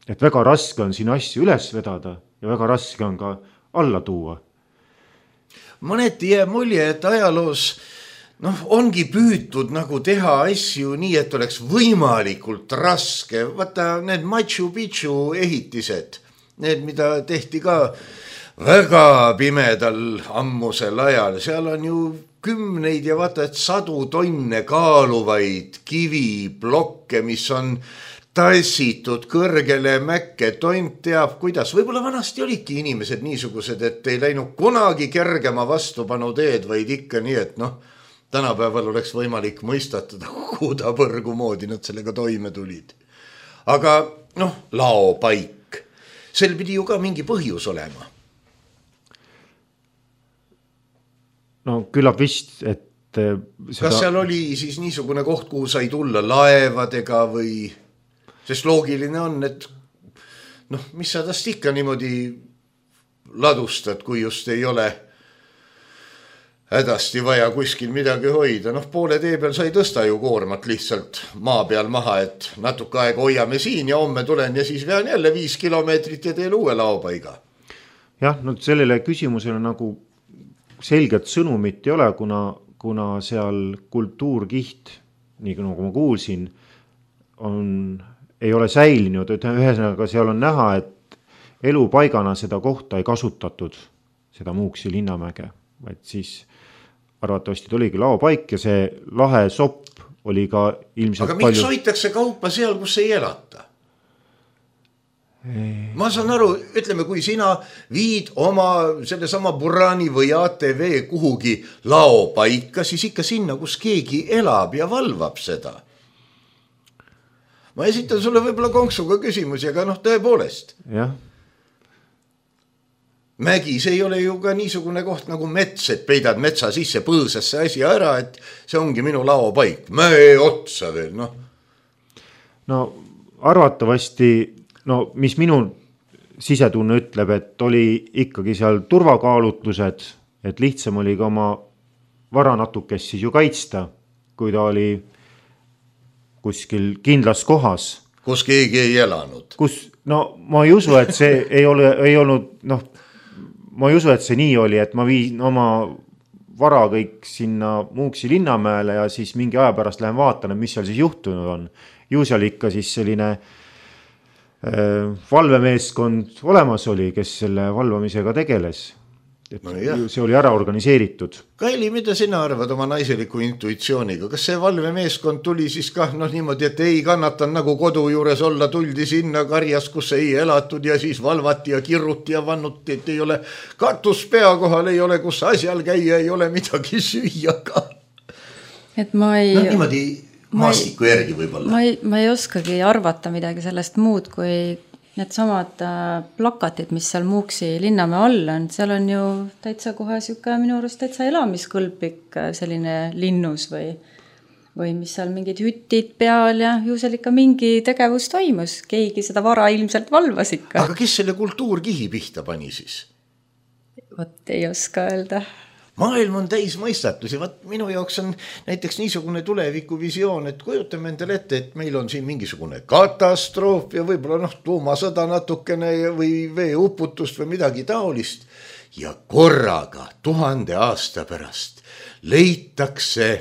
et väga raske on siin asju üles vedada ja väga raske on ka alla tuua? Mõneti jääb mulje, et ajaloos noh, ongi püütud nagu teha asju nii, et oleks võimalikult raske. Vaata need Machu Picchu ehitised, need, mida tehti ka väga pimedal ammusel ajal, seal on ju kümneid ja vaata, et sadu tonne kaaluvaid kiviblokke, mis on tassitud kõrgele mäkke, tont teab kuidas. Võib-olla vanasti olidki inimesed niisugused, et ei läinud kunagi kergema vastupanu teed, vaid ikka nii, et noh, tänapäeval oleks võimalik mõistatada kuuda põrgu moodi nad sellega toime tulid. Aga noh, laopaik, sel pidi ju ka mingi põhjus olema. No küllap vist, et seda... Kas seal oli siis niisugune koht, kuhu sai tulla laevadega või... Sest loogiline on, et noh, mis sa tast ikka niimoodi ladustad, kui just ei ole hädasti vaja kuskil midagi hoida. Noh, poole tee peal sai tõsta ju koormat lihtsalt maa peal maha, et natuke aega hoiame siin ja homme tulen ja siis vean jälle viis kilomeetrit ja teen uue laopaiga. Jah, no sellele küsimusele nagu selget sõnumit ei ole, kuna, kuna seal kultuurkiht, nii nagu ma kuulsin, on, ei ole säilinud, et ühesõnaga seal on näha, et elupaigana seda kohta ei kasutatud, seda Muuksi linnamäge, vaid siis arvatavasti oligi laopaik ja see lahe sopp oli ka ilmselt Aga miks palju... hoitakse kaupa seal, kus ei elata? Ei. Ma saan aru, ütleme, kui sina viid oma selle sama Burani või A T V kuhugi laopaika, siis ikka sinna, kus keegi elab ja valvab seda. Ma esitan sulle võib-olla konksuga küsimusi, aga noh, tõepoolest. Jah. Mägis ei ole ju ka niisugune koht nagu mets, et peidad metsa sisse põõsasse asi ära, et see ongi minu laopaik. Mäe otsa veel, noh. No arvatavasti, no mis minu sisetunne ütleb, et oli ikkagi seal turvakaalutlused, et lihtsam oli ka oma vara natukest siis ju kaitsta, kui ta oli kuskil kindlas kohas. Kus keegi ei elanud. Kus, no ma ei usu, et see ei, ole, ei olnud, noh, ma ei usu, et see nii oli, et ma viin oma vara kõik sinna Muuksi linnamäele ja siis mingi aja pärast lähen vaatan, mis seal siis juhtunud on. Ju seal ikka siis selline äh, valvemeeskond olemas oli, kes selle valvamisega tegeles. Et no see oli ära organiseeritud. Kaili, mida sina arvad oma naiseliku intuitsiooniga? Kas see valvemeeskond tuli siis kah noh niimoodi, et ei kannatan nagu kodu juures olla, tuldi sinna karjas, kus ei elatud ja siis valvati ja kirruti ja vannuti, et ei ole katus pea kohal, ei ole kus asjal käia, ei ole midagi süüa ka. Et ma ei... No niimoodi maastiku järgi võib-olla. Ma ei, ma ei oskagi arvata midagi sellest muud, kui need samad plakatid, mis seal Muuksi linnamäe all on, seal on ju täitsa kohe siuke minu arust täitsa elamiskõlblik selline linnus või, või mis seal mingid hütid peal ja ju seal ikka mingi tegevus toimus. Keegi seda vara ilmselt valvas ikka. Aga kes selle kultuurkihi pihta pani siis? Vot ei oska öelda. Maailm on täis mõistatus ja vaat minu jaoks on näiteks niisugune tulevikuvisioon, et kujutame endale ette, et meil on siin mingisugune katastroof ja võib-olla noh, tuumasõda natukene või veeuputust või midagi taolist. Ja korraga tuhande aasta pärast leitakse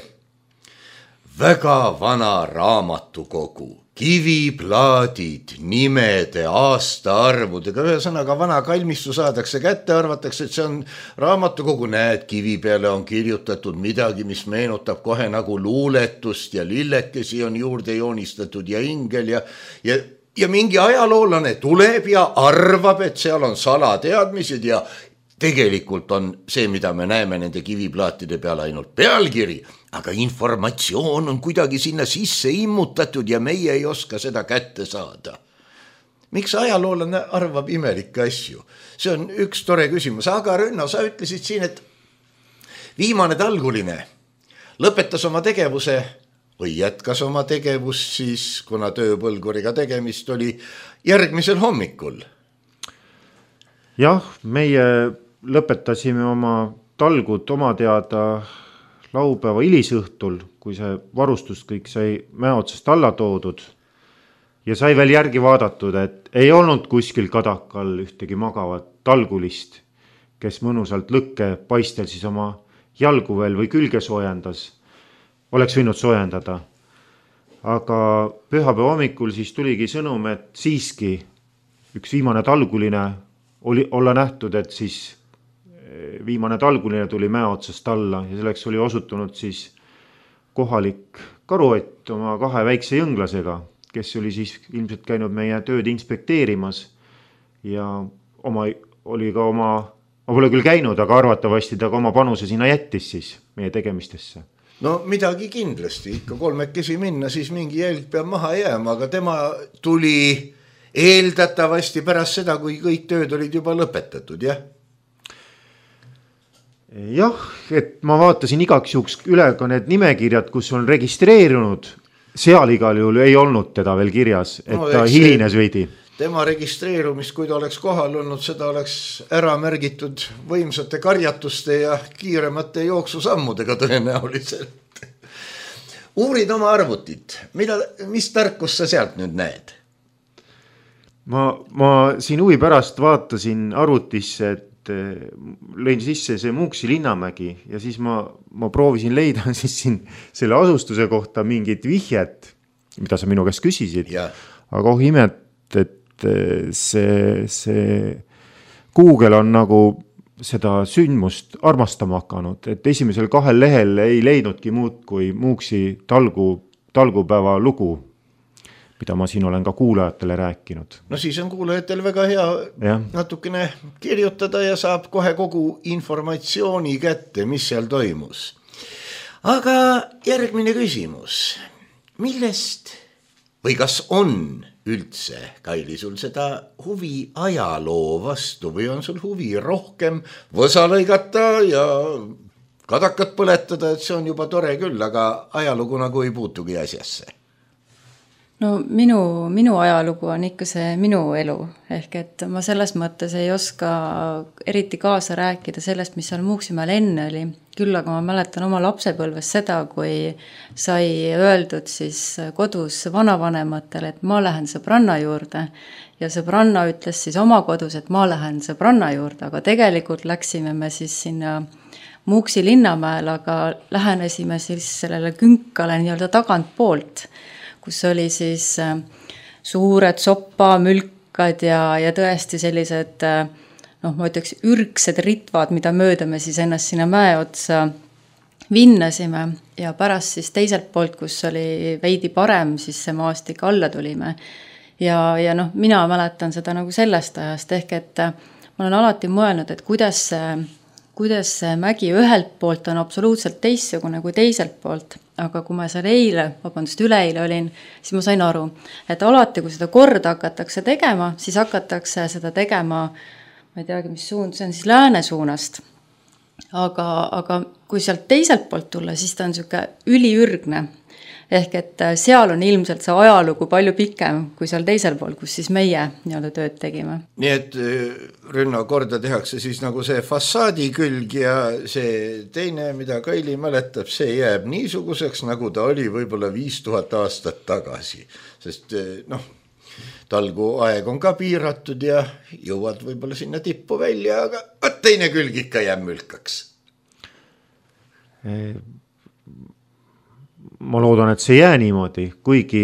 väga vana raamatukogu, kiviplaadid, nimede, aastaarvudega, ühesõnaga vana kalmistu saadakse kätte, arvatakse, et see on raamatukogu, näed, kivi peale on kirjutatud midagi, mis meenutab kohe nagu luuletust ja lillekesi on juurde joonistatud ja ingel ja, ja, ja mingi ajaloolane tuleb ja arvab, et seal on salateadmised ja tegelikult on see, mida me näeme nende kiviplaatide peal ainult pealkiri, aga informatsioon on kuidagi sinna sisse immutatud ja meie ei oska seda kätte saada. Miks ajaloolane arvab imelikke asju? See on üks tore küsimus, aga Rünno, sa ütlesid siin, et viimane talguline lõpetas oma tegevuse või jätkas oma tegevust siis, kuna tööpõlguriga tegemist oli järgmisel hommikul. Jah, meie lõpetasime oma talgud oma teada laupäeva hilisõhtul, kui see varustus kõik sai mäe otsast alla toodud ja sai veel järgi vaadatud, et ei olnud kuskil kadakal ühtegi magavat talgulist, kes mõnusalt lõkke paistel siis oma jalgu veel või külge soojendas, oleks võinud soojendada. Aga pühapäeva hommikul siis tuligi sõnum, et siiski üks viimane talguline oli olla nähtud, et siis viimane talguline tuli mäe otsast alla ja selleks oli osutunud siis kohalik karuott oma kahe väikse jõnglasega, kes oli siis ilmselt käinud meie tööd inspekteerimas ja oma, oli ka oma, ma pole küll käinud, aga arvatavasti ta ka oma panuse sinna jättis siis meie tegemistesse. No midagi kindlasti, ikka kolmekesi minna, siis mingi jälg peab maha jääma, aga tema tuli eeldatavasti pärast seda, kui kõik tööd olid juba lõpetatud, jah? Jah, et ma vaatasin igaks juhuks üle ka need nimekirjad, kus on registreerunud, seal igal juhul ei olnud teda veel kirjas, et no, ta hilines veidi. Tema registreerumist, kui ta oleks kohal olnud, seda oleks ära märgitud võimsate karjatuste ja kiiremate jooksusammudega tõenäoliselt. Uurid oma arvutit, mida, mis tarkus sa sealt nüüd näed? Ma, ma siin huvi pärast vaatasin arvutisse, et lõin sisse see Muuksi Linnamägi ja siis ma, ma proovisin leida siis siin selle asustuse kohta mingit vihjet, mida sa minu käest küsisid, ja. Aga oh imet, et see, see Google on nagu seda sündmust armastama hakanud, et esimesel kahel lehel ei leidnudki muud kui Muuksi talgu, talgupäeva lugu, mida ma siin olen ka kuulajatele rääkinud. No siis on kuulajatel väga hea ja. Natukene kirjutada ja saab kohe kogu informatsiooni kätte, mis seal toimus. Aga järgmine küsimus. Millest või kas on üldse, Kaili, sul seda huvi ajaloo vastu või on sul huvi rohkem võsa lõigata ja kadakat põletada, et see on juba tore küll, aga ajalugu nagu ei puutugi asjasse? No minu, minu ajalugu on ikka see minu elu, ehk et ma selles mõttes ei oska eriti kaasa rääkida sellest, mis seal Muuksimäel enne oli. Küll aga ma mäletan oma lapsepõlves seda, kui sai öeldud siis kodus vanavanematele, et ma lähen sõbranna juurde ja sõbranna ütles siis oma kodus, et ma lähen sõbranna juurde, aga tegelikult läksime me siis sinna Muuksi Linnamäel, aga lähenesime siis sellele künkale nii-öelda tagant poolt, kus oli siis suured sopamülkad ja, ja tõesti sellised, noh, ma ütleks, ürgsed ritvad, mida mööda me siis ennast sinna mäe otsa vinnasime ja pärast siis teiselt poolt, kus oli veidi parem, siis see maastik alla tulime. Ja, ja noh, mina mäletan seda nagu sellest ajast, ehk et ma olen alati mõelnud, et kuidas see, kuidas see mägi ühelt poolt on absoluutselt teistsugune kui teiselt poolt. Aga kui ma seal eile, vabandust, üleeile olin, siis ma sain aru, et alati, kui seda korda hakatakse tegema, siis hakatakse seda tegema, ma ei teagi, mis suund, see on siis lääne suunast. Aga, aga kui sealt teiselt poolt tulla, siis ta on siuke üliürgne. Ehk et seal on ilmselt see ajalugu palju pikem kui seal teisel pool, kus siis meie nii-öelda tööd tegime. Nii et Rünno, korda tehakse siis nagu see fassaadi külg ja see teine, mida Kaili mäletab, see jääb niisuguseks, nagu ta oli võib-olla viis tuhat aastat tagasi. Sest noh, talgu aeg on ka piiratud ja jõuad võib-olla sinna tippu välja, aga teine külg ikka jääb mülkaks. Ma loodan, et see jää niimoodi, kuigi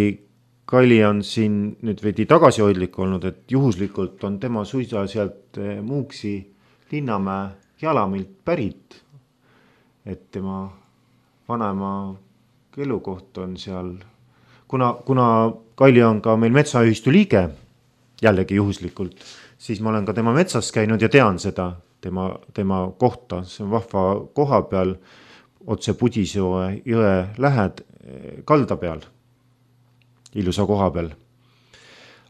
Kaili on siin nüüd veidi tagasihoidlik olnud, et juhuslikult on tema suisa sealt Muuksi Linnamäe Jalamilt pärit, et tema vanema elukoht on seal, kuna, kuna Kaili on ka meil metsaühistu liige, jällegi juhuslikult, siis ma olen ka tema metsas käinud ja tean seda tema, tema kohta, see on vahva koha peal, otse Pudisjoe jõe lähed kalda peal, ilusa koha peal.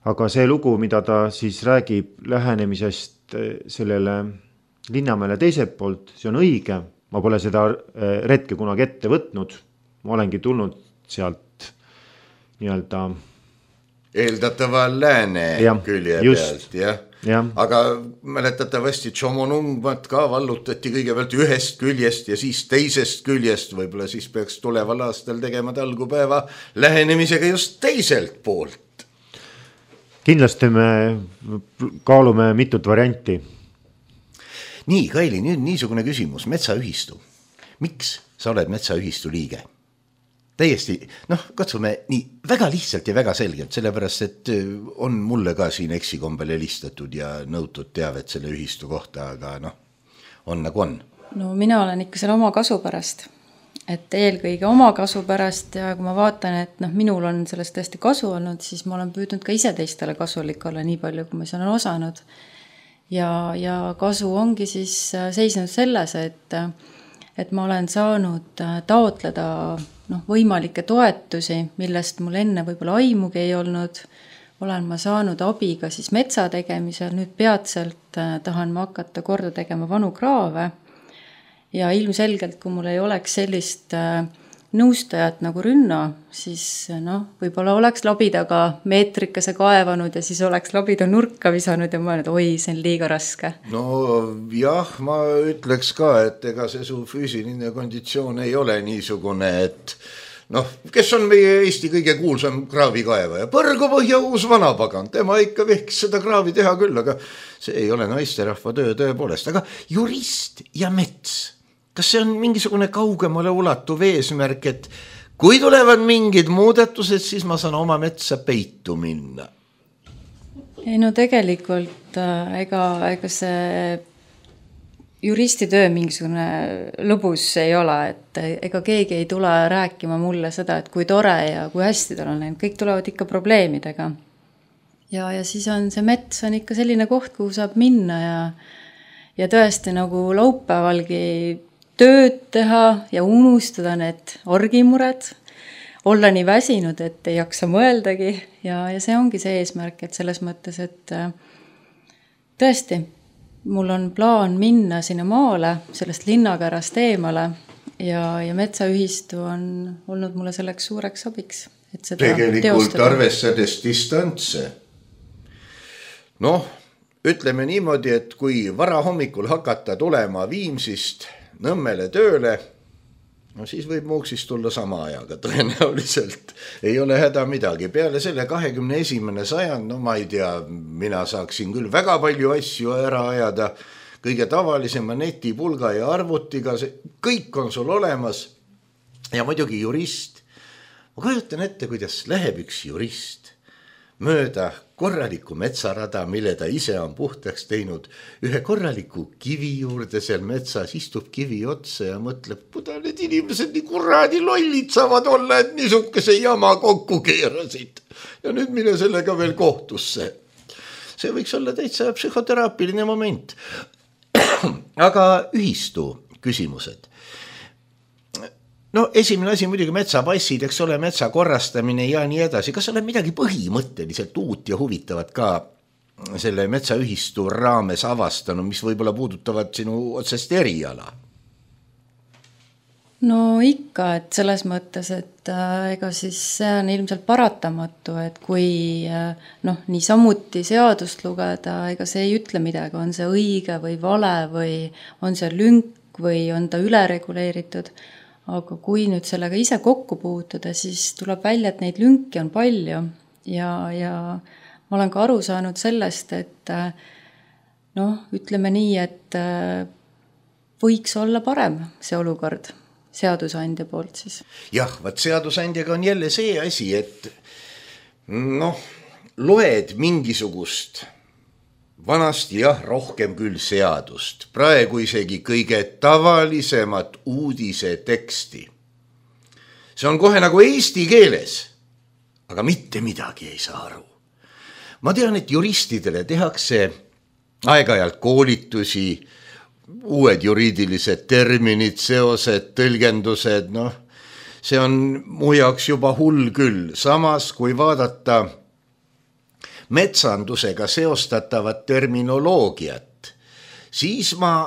Aga see lugu, mida ta siis räägib lähenemisest sellele Linnamäele teiselt poolt, see on õige. Ma pole seda retke kunagi ette võtnud. Ma olengi tulnud sealt nii-öelda eeldatava lääne ja, külje just, pealt, jah. aga mäletatavasti Tšomonungmat ka vallutati kõigepealt ühest küljest ja siis teisest küljest, võib-olla siis peaks tuleval aastal tegema talgupäeva lähenemisega just teiselt poolt. Kindlasti me kaalume mitut varianti. Nii, Kaili, nüüd niisugune küsimus, metsaühistu. Miks sa oled metsaühistu liige? Täiesti, noh, katsume nii väga lihtsalt ja väga selgelt, sellepärast, et on mulle ka siin eksikombel helistatud ja nõutud teavet selle ühistu kohta, aga noh, on nagu on. No mina olen ikka selle oma kasu pärast, et eelkõige oma kasu pärast ja kui ma vaatan, et noh, minul on sellest tõesti kasu olnud, siis ma olen püüdnud ka ise teistele kasulik olla nii palju, kui ma olen osanud. Ja, ja kasu ongi siis seisnud selles, et, et ma olen saanud taotleda noh, võimalikke toetusi, millest mul enne võib-olla aimugi ei olnud. Olen ma saanud abiga siis metsa tegemisel, nüüd peatselt tahan ma hakata korda tegema vanu kraave. Ja ilmselgelt, kui mul ei oleks sellist nõustajat nagu Rünna, siis noh, võib-olla oleks labidaga meetrikese kaevanud ja siis oleks labida nurka visanud ja ma olen, et oi, see on liiga raske. No jah, ma ütleks ka, et ega see su füüsiline konditsioon ei ole niisugune, et noh, kes on meie Eesti kõige kuulsam kraavikaevaja? Põrgupõhja uus vanapagan, tema ikka võiks seda kraavi teha küll, aga see ei ole naisterahva töö tõepoolest. Aga jurist ja mets, kas see on mingisugune kaugemale ulatuv eesmärk, et kui tulevad mingid muudatused, siis ma saan oma metsa peitu minna? Ei no tegelikult ega, ega see juristitöö mingisugune lõbus ei ole, et ega keegi ei tule rääkima mulle seda, et kui tore ja kui hästi tal on läinud, kõik tulevad ikka probleemidega. Ja, ja siis on see mets on ikka selline koht, kuhu saab minna ja, ja tõesti nagu laupäevalgi tööd teha ja unustada need argimured, olla nii väsinud, et ei jaksa mõeldagi ja, ja see ongi see eesmärk, et selles mõttes, et tõesti, mul on plaan minna sinna maale, sellest linnakärast eemale ja, ja metsaühistu on olnud mulle selleks suureks abiks. Et seda tegelikult teostada. Arvestades distantse. Noh, ütleme niimoodi, et kui vara hommikul hakata tulema Viimsist Nõmmele tööle, no siis võib Muuksist tulla sama ajaga tõenäoliselt. Ei ole häda midagi. Peale selle kahekümne esimene sajand, no ma ei tea, mina saaksin küll väga palju asju ära ajada, kõige tavalisema netipulga ja arvutiga, see, kõik on sul olemas ja muidugi jurist. Ma kujutan ette, kuidas läheb üks jurist mööda korraliku metsarada, mille ta ise on puhtaks teinud, ühe korraliku kivi juurde seal metsas, istub kivi otsa ja mõtleb, kuda need inimesed nii kuradi lollid saavad olla, et niisuguse jama kokku keerasid. Ja nüüd mine sellega veel kohtusse. See võiks olla täitsa psühhoteraapiline moment. Aga ühistu küsimused. No esimene asi muidugi metsapassid, eks ole, metsa korrastamine ja nii edasi. Kas oled midagi põhimõtteliselt uut ja huvitavat ka selle metsaühistu raames avastanud, mis võib-olla puudutavad sinu otsest eriala? No ikka, et selles mõttes, et äh, ega siis see on ilmselt paratamatu, et kui äh, noh, nii samuti seadust lugeda, ega see ei ütle midagi, on see õige või vale või on see lünk või on ta ülereguleeritud. Aga kui nüüd sellega ise kokku puutuda, siis tuleb välja, et neid lünki on palju ja, ja ma olen ka aru saanud sellest, et noh, ütleme nii, et võiks olla parem see olukord seadusandja poolt siis. Jah, vaat seadusandjaga on jälle see asi, et noh, loed mingisugust vanasti jah, rohkem küll seadust, praegu isegi kõige tavalisemat uudise teksti. See on kohe nagu eesti keeles, aga mitte midagi ei saa aru. Ma tean, et juristidele tehakse aeg-ajalt koolitusi, uued juriidilised terminid, seosed, tõlgendused, noh, see on mu jaoks juba hull küll. Samas, kui vaadata metsandusega seostatavat terminoloogiat, siis ma,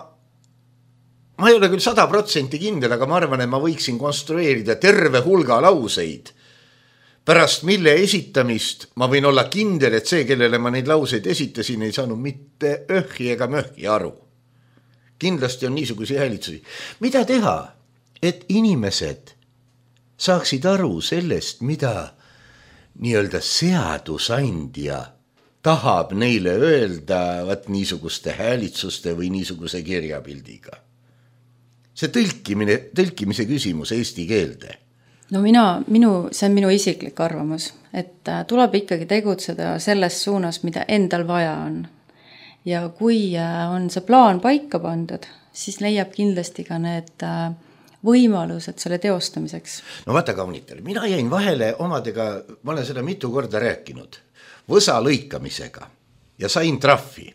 ma ei ole küll sada protsenti kindel, aga ma arvan, et ma võiksin konstrueerida terve hulga lauseid pärast mille esitamist ma võin olla kindel, et see, kellele ma neid lauseid esitasin, ei saanud mitte öhhi ega möhhi aru. Kindlasti on niisuguseid häälitsusi. Mida teha, et inimesed saaksid aru sellest, mida nii-öelda seadusandja tahab neile öelda vaat niisuguste häälitsuste või niisuguse kirjapildiga? See tõlkimine, tõlkimise küsimus eesti keelde. No mina, minu, see on minu isiklik arvamus, et tuleb ikkagi tegutseda selles suunas, mida endal vaja on. Ja kui on see plaan paika pandud, siis leiab kindlasti ka need võimalused selle teostamiseks. No vaata kaunitel, mina jäin vahele omadega, ma olen seda mitu korda rääkinud, võsa lõikamisega ja sain trahvi.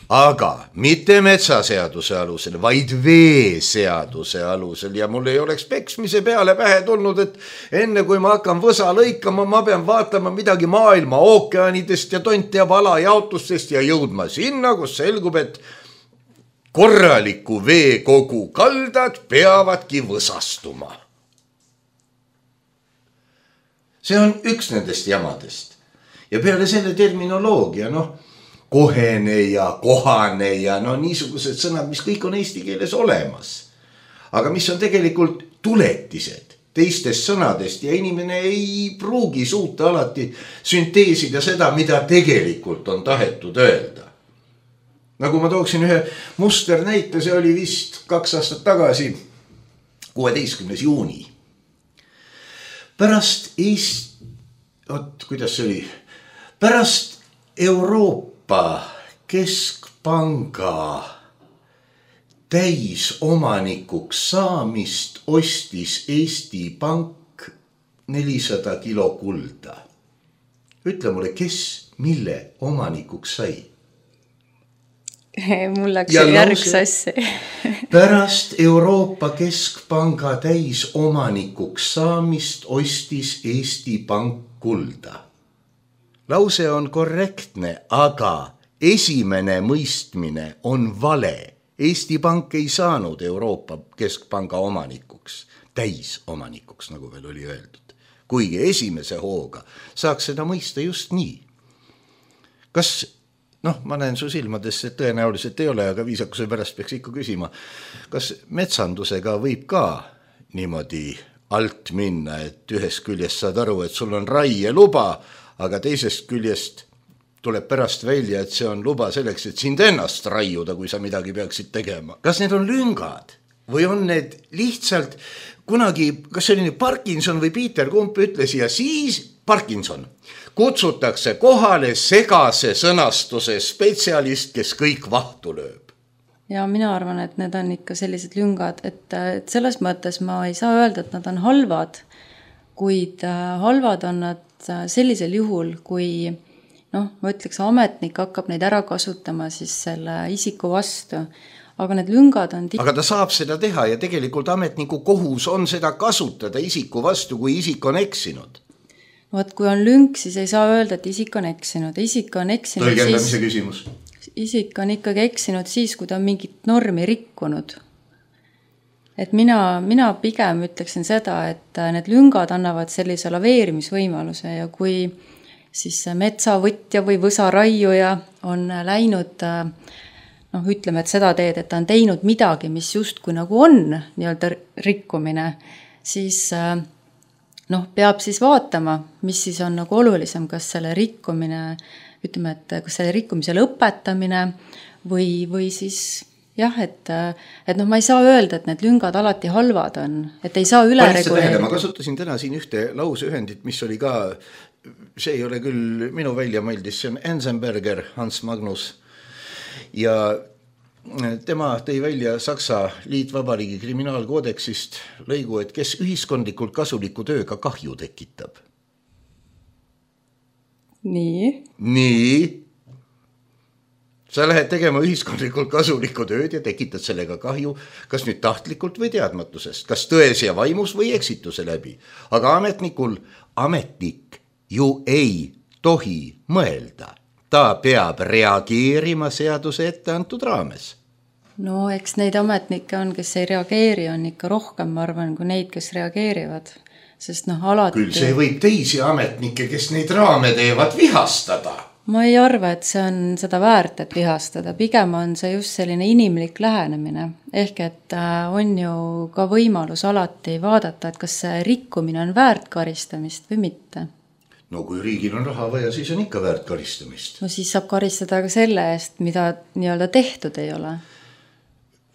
Aga mitte metsaseaduse alusel, vaid veeseaduse alusel ja mul ei oleks peksmise peale pähe tulnud, et enne kui ma hakkan võsa lõikama, ma pean vaatama midagi maailma ookeanidest ja tont teab alajaotustest ja jõudma sinna, kus selgub, et korraliku veekogu kaldad peavadki võsastuma. See on üks nendest jamadest. Ja peale selle terminoloogia, noh, kohene ja kohane ja no niisugused sõnad, mis kõik on eesti keeles olemas. Aga mis on tegelikult tuletised teistest sõnadest ja inimene ei pruugi suuta alati sünteesida seda, mida tegelikult on tahetud öelda. Nagu ma tooksin ühe muster näite, see oli vist kaks aastat tagasi, kuueteistkümnes juuni. Pärast Eest... Oot, kuidas see oli? Pärast Euroopa Keskpanga täisomanikuks saamist ostis Eesti Pank nelisada kilo kulda. Ütle mulle, kes mille omanikuks sai? Mul läks järg sassi. Pärast Euroopa Keskpanga täisomanikuks saamist ostis Eesti Pank kulda. Lause on korrektne, aga esimene mõistmine on vale. Eesti Pank ei saanud Euroopa Keskpanga omanikuks, täisomanikuks, nagu veel oli öeldud. Kuigi esimese hooga saaks seda mõista just nii. Kas, noh, ma näen su silmadesse, et tõenäoliselt ei ole, aga viisakuse pärast peaks ikka küsima, kas metsandusega võib ka niimoodi alt minna, et ühest küljest saad aru, et sul on raie luba, aga teisest küljest tuleb pärast välja, et see on luba selleks, et sind ennast raiuda, kui sa midagi peaksid tegema. Kas need on lüngad või on need lihtsalt kunagi, kas see oli Parkinson või Peter Kump ütles ja siis Parkinson kutsutakse kohale segase sõnastuse spetsialist, kes kõik vahtu lööb. Ja mina arvan, et need on ikka sellised lüngad, et, et selles mõttes ma ei saa öelda, et nad on halvad, kuid halvad on nad sellisel juhul, kui noh, ma ütleks, ametnik hakkab neid ära kasutama siis selle isiku vastu, aga need lüngad on... Aga ta saab seda teha ja tegelikult ametniku kohus on seda kasutada isiku vastu, kui isik on eksinud. No, et kui on lünk, siis ei saa öelda, et isik on eksinud. Isik on eksinud Tõlgendamise siis... küsimus. Isik on ikkagi eksinud siis, kui ta on mingit normi rikkunud. Et mina, mina pigem ütleksin seda, et need lüngad annavad sellise laveerimisvõimaluse ja kui siis metsavõtja või võsaraiuja on läinud, noh, ütleme, et seda teed, et ta on teinud midagi, mis justkui nagu on nii-öelda rikkumine, siis noh, peab siis vaatama, mis siis on nagu olulisem, kas selle rikkumine, ütleme, et kas selle rikkumise lõpetamine või, või siis... Jah, et, et noh, ma ei saa öelda, et need lüngad alati halvad on, et ei saa üle reguleerida. Ma kasutasin täna siin ühte lauseühendit, mis oli ka, see ei ole küll minu välja mõeldis, see on Enzenberger, Hans Magnus. Ja tema tõi välja Saksa Liitvabariigi kriminaalkoodeksist lõigu, et kes ühiskondlikult kasuliku tööga kahju tekitab. Nii. Nii. Sa lähed tegema ühiskondlikult kasulikku tööd ja tekitad sellega kahju, kas nüüd tahtlikult või teadmatusest, kas tões ja vaimus või eksituse läbi. Aga ametnikul, ametnik ju ei tohi mõelda. Ta peab reageerima seaduse ette antud raames. No eks neid ametnikke on, kes ei reageeri, on ikka rohkem, ma arvan, kui neid, kes reageerivad. sest noh, alati... Küll see võib teisi ametnikke, kes neid raame teevad, vihastada. Ma ei arva, et see on seda väärt, et vihastada. Pigem on see just selline inimlik lähenemine. Ehk et on ju ka võimalus alati vaadata, et kas see rikkumine on väärt karistamist või mitte. No kui riigil on raha vaja, siis on ikka väärt karistamist. No siis saab karistada ka selle eest, mida nii-öelda tehtud ei ole.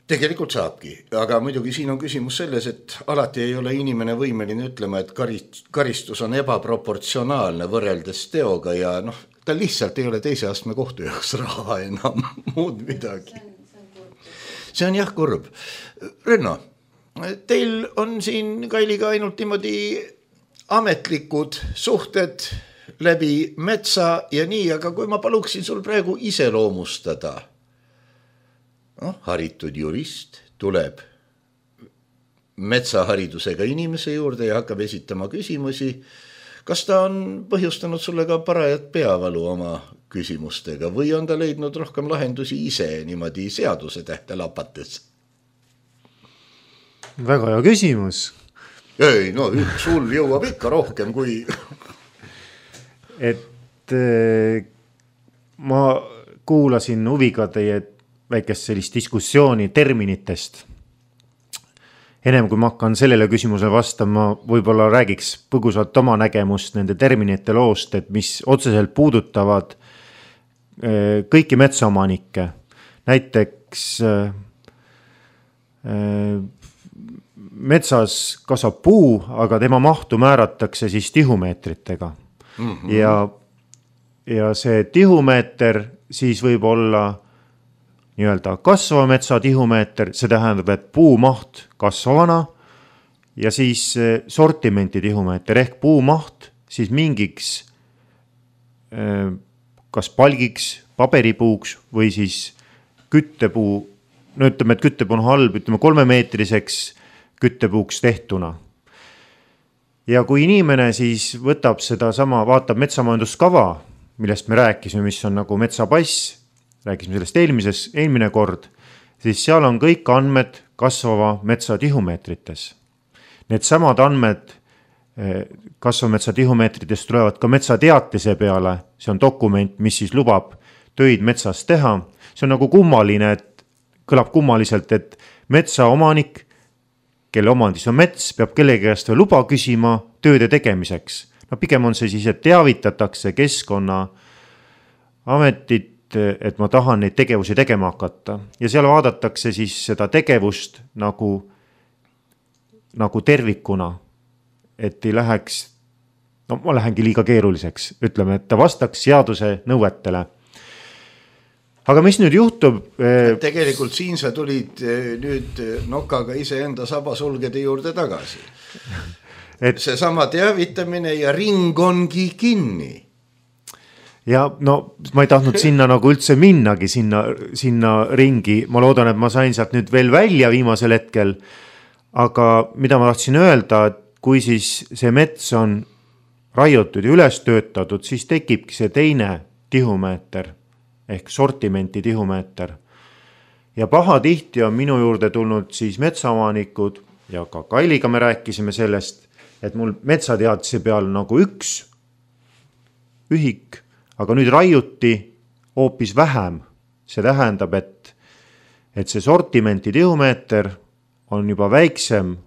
Tegelikult saabki, aga muidugi siin on küsimus selles, et alati ei ole inimene võimeline ütlema, et karistus on ebaproportsionaalne võrreldes teoga ja noh, ta lihtsalt ei ole teise astme kohtu jaoks raha enam muud midagi. See on jah kurb. Renno, teil on siin Kailiga ainult niimoodi ametlikud suhted läbi metsa ja nii, aga kui ma paluksin sul praegu iseloomustada, no, haritud jurist tuleb metsaharidusega inimese juurde ja hakkab esitama küsimusi. Kas ta on põhjustanud sulle ka parajat peavalu oma küsimustega või on ta leidnud rohkem lahendusi ise niimoodi seaduse tähte lapates? Väga hea küsimus. Ei, no sul jõuab ikka rohkem kui... et ma kuulasin huviga teie väikest sellist diskussiooni terminitest. Enem kui ma hakkan sellele küsimusele vastama, võib-olla räägiks põgusalt oma nägemust nende terminite loost, et mis otseselt puudutavad kõiki metsaomanikke. Näiteks metsas kasvab puu, aga tema mahtu määratakse siis tihumeetritega. Mm-hmm. Ja, ja see tihumeeter siis võib olla nii-öelda kasvava metsa tihumeeter, see tähendab, et puu maht kasvavana ja siis sortimenti tihumeeter ehk puu maht siis mingiks kas palgiks, paberipuuks või siis küttepuu, no ütleme, et küttepuu on halb, ütleme kolmemeetriseks küttepuuks tehtuna. Ja kui inimene siis võtab seda sama, vaatab metsamajanduskava, millest me rääkisime, mis on nagu metsapass, rääkisime sellest eelmises, eelmine kord, siis seal on kõik andmed kasvava metsa tihumeetrites. Need samad andmed kasvava metsa tihumeetrites tulevad ka metsateatise peale, see on dokument, mis siis lubab töid metsas teha. See on nagu kummaline, et kõlab kummaliselt, et metsaomanik, kelle omandis on mets, peab kellegi käest veel luba küsima tööde tegemiseks. No pigem on see siis, et teavitatakse keskkonna ametit, et ma tahan neid tegevusi tegema hakata. Ja seal vaadatakse siis seda tegevust nagu, nagu tervikuna, et ei läheks, no ma lähengi liiga keeruliseks, ütleme, et ta vastaks seaduse nõuetele. Aga mis nüüd juhtub? Tegelikult siin sa tulid nüüd nokaga ise enda sabasulgede juurde tagasi. Et see sama teavitamine ja ring ongi kinni. Ja no ma ei tahtnud sinna nagu üldse minnagi sinna, sinna ringi. Ma loodan, et ma sain sealt nüüd veel välja viimasel hetkel. Aga mida ma tahtsin öelda, et kui siis see mets on raiutud ja üles töötatud, siis tekibki see teine tihumeeter ehk sortimenti tihumeeter. Ja paha tihti on minu juurde tulnud siis metsaomanikud ja ka Kailiga me rääkisime sellest, et mul metsateadise peal nagu üks ühik, aga nüüd raiuti hoopis vähem. See tähendab, et, et see sortimenti tihumeeter on juba väiksem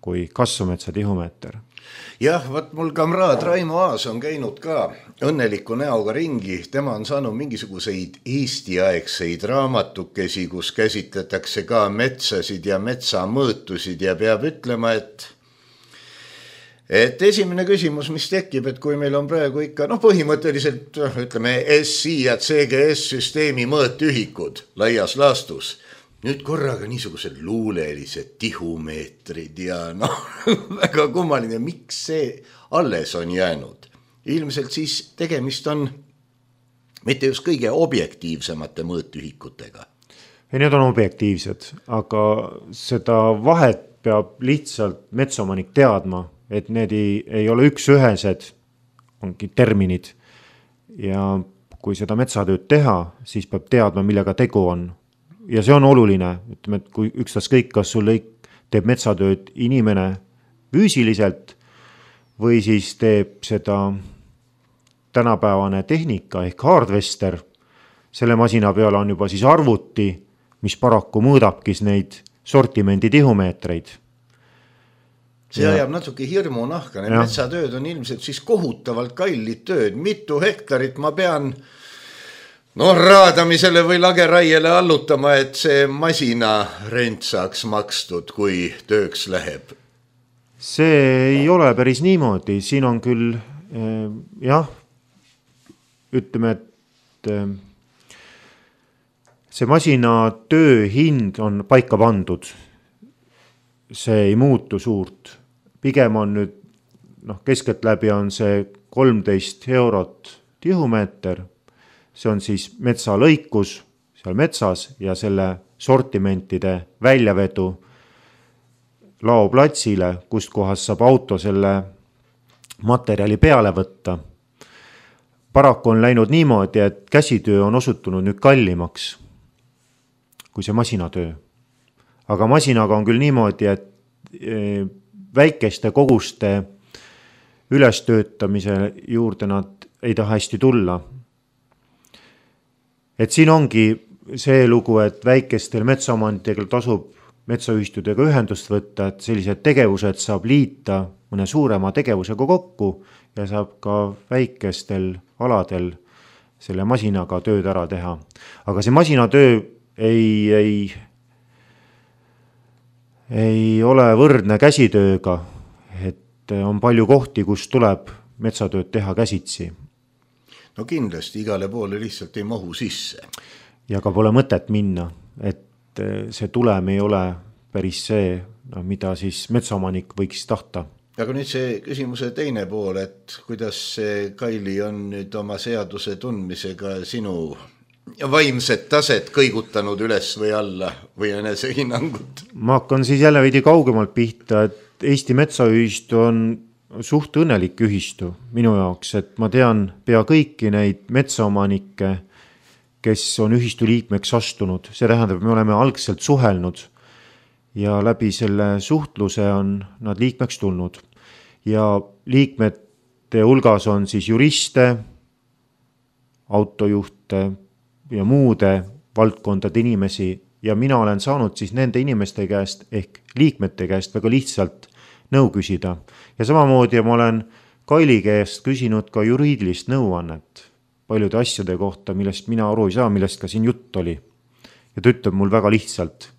kui kasvumetsa tihumeeter. Jah, võt mul kamraad Raimo Aas on käinud ka õnneliku näoga ringi. Tema on saanud mingisuguseid Eesti-aegseid raamatukesi, kus käsitletakse ka metsasid ja metsamõõtusid ja peab ütlema, et et esimene küsimus, mis tekib, et kui meil on praegu ikka, noh põhimõtteliselt ütleme S I ja C G S-süsteemi mõõtühikud laias laastus, nüüd korraga niisugused luulelised tihumeetrid ja noh, väga kummaline, miks see alles on jäänud. Ilmselt siis tegemist on mitte just kõige objektiivsemate mõõtühikutega. Ei, need on objektiivsed, aga seda vahet peab lihtsalt metsaomanik teadma, et need ei, ei ole üks ühesed, ongi terminid. Ja kui seda metsatööd teha, siis peab teadma, millega tegu on. Ja see on oluline, ütleme, et kui ükstas kõik, kas sul teeb metsatööd inimene, füüsiliselt või siis teeb seda tänapäevane tehnika ehk hardvester. Selle masina peale on juba siis arvuti, mis paraku mõõdabki neid sortimendi tihumeetreid. See ajab natuke hirmu nahka, need metsatööd on ilmselt siis kohutavalt kallid tööd, mitu hektarit ma pean no raadamisele või lageraiele allutama, et see masina rent saaks makstud, kui tööks läheb. See ei ole päris niimoodi, siin on küll eh, jah, ütleme, et eh, see masina töö hind on paika pandud, see ei muutu suurt. Pigem on nüüd, noh, keskelt läbi on see kolmteist eurot tihumeeter, see on siis metsalõikus seal metsas ja selle sortimentide väljavedu laoplatsile, kust kohas saab auto selle materjali peale võtta. Paraku on läinud niimoodi, et käsitöö on osutunud nüüd kallimaks kui see masinatöö. Aga masinaga on küll niimoodi, et väikeste koguste ülestöötamise juurde nad ei taha hästi tulla. Et siin ongi see lugu, et väikestel metsaomandidega tasub metsaühistudega ühendust võtta, et sellised tegevused saab liita mõne suurema tegevusega kokku ja saab ka väikestel aladel selle masinaga tööd ära teha. Aga see masinatöö ei, ei, ei ole võrdne käsitööga, et on palju kohti, kus tuleb metsatööd teha käsitsi. No kindlasti igale poole lihtsalt ei mahu sisse. Ja ka pole mõtet minna, et see tulem ei ole päris see, no, mida siis metsaomanik võiks tahta. Aga nüüd see küsimuse teine pool, et kuidas see Kaili on nüüd oma seaduse tundmisega sinu vaimset taset kõigutanud üles või alla või enese hinnangut? Ma hakkan siis jälle veidi kaugemalt pihta, et Eesti metsaühistu on suht õnnelik ühistu minu jaoks, et ma tean pea kõiki neid metsaomanikke, kes on ühistu liikmeks astunud. See tähendab, me oleme algselt suhelnud ja läbi selle suhtluse on nad liikmeks tulnud. Ja liikmete hulgas on siis juriste, autojuhte ja muude valdkondade inimesi ja mina olen saanud siis nende inimeste käest ehk liikmete käest väga lihtsalt nõu küsida. Ja samamoodi ma olen Kaili käest küsinud ka juriidilist nõuannet paljude asjade kohta, millest mina aru ei saa, millest ka siin jutt oli. Ja ta ütleb mul väga lihtsalt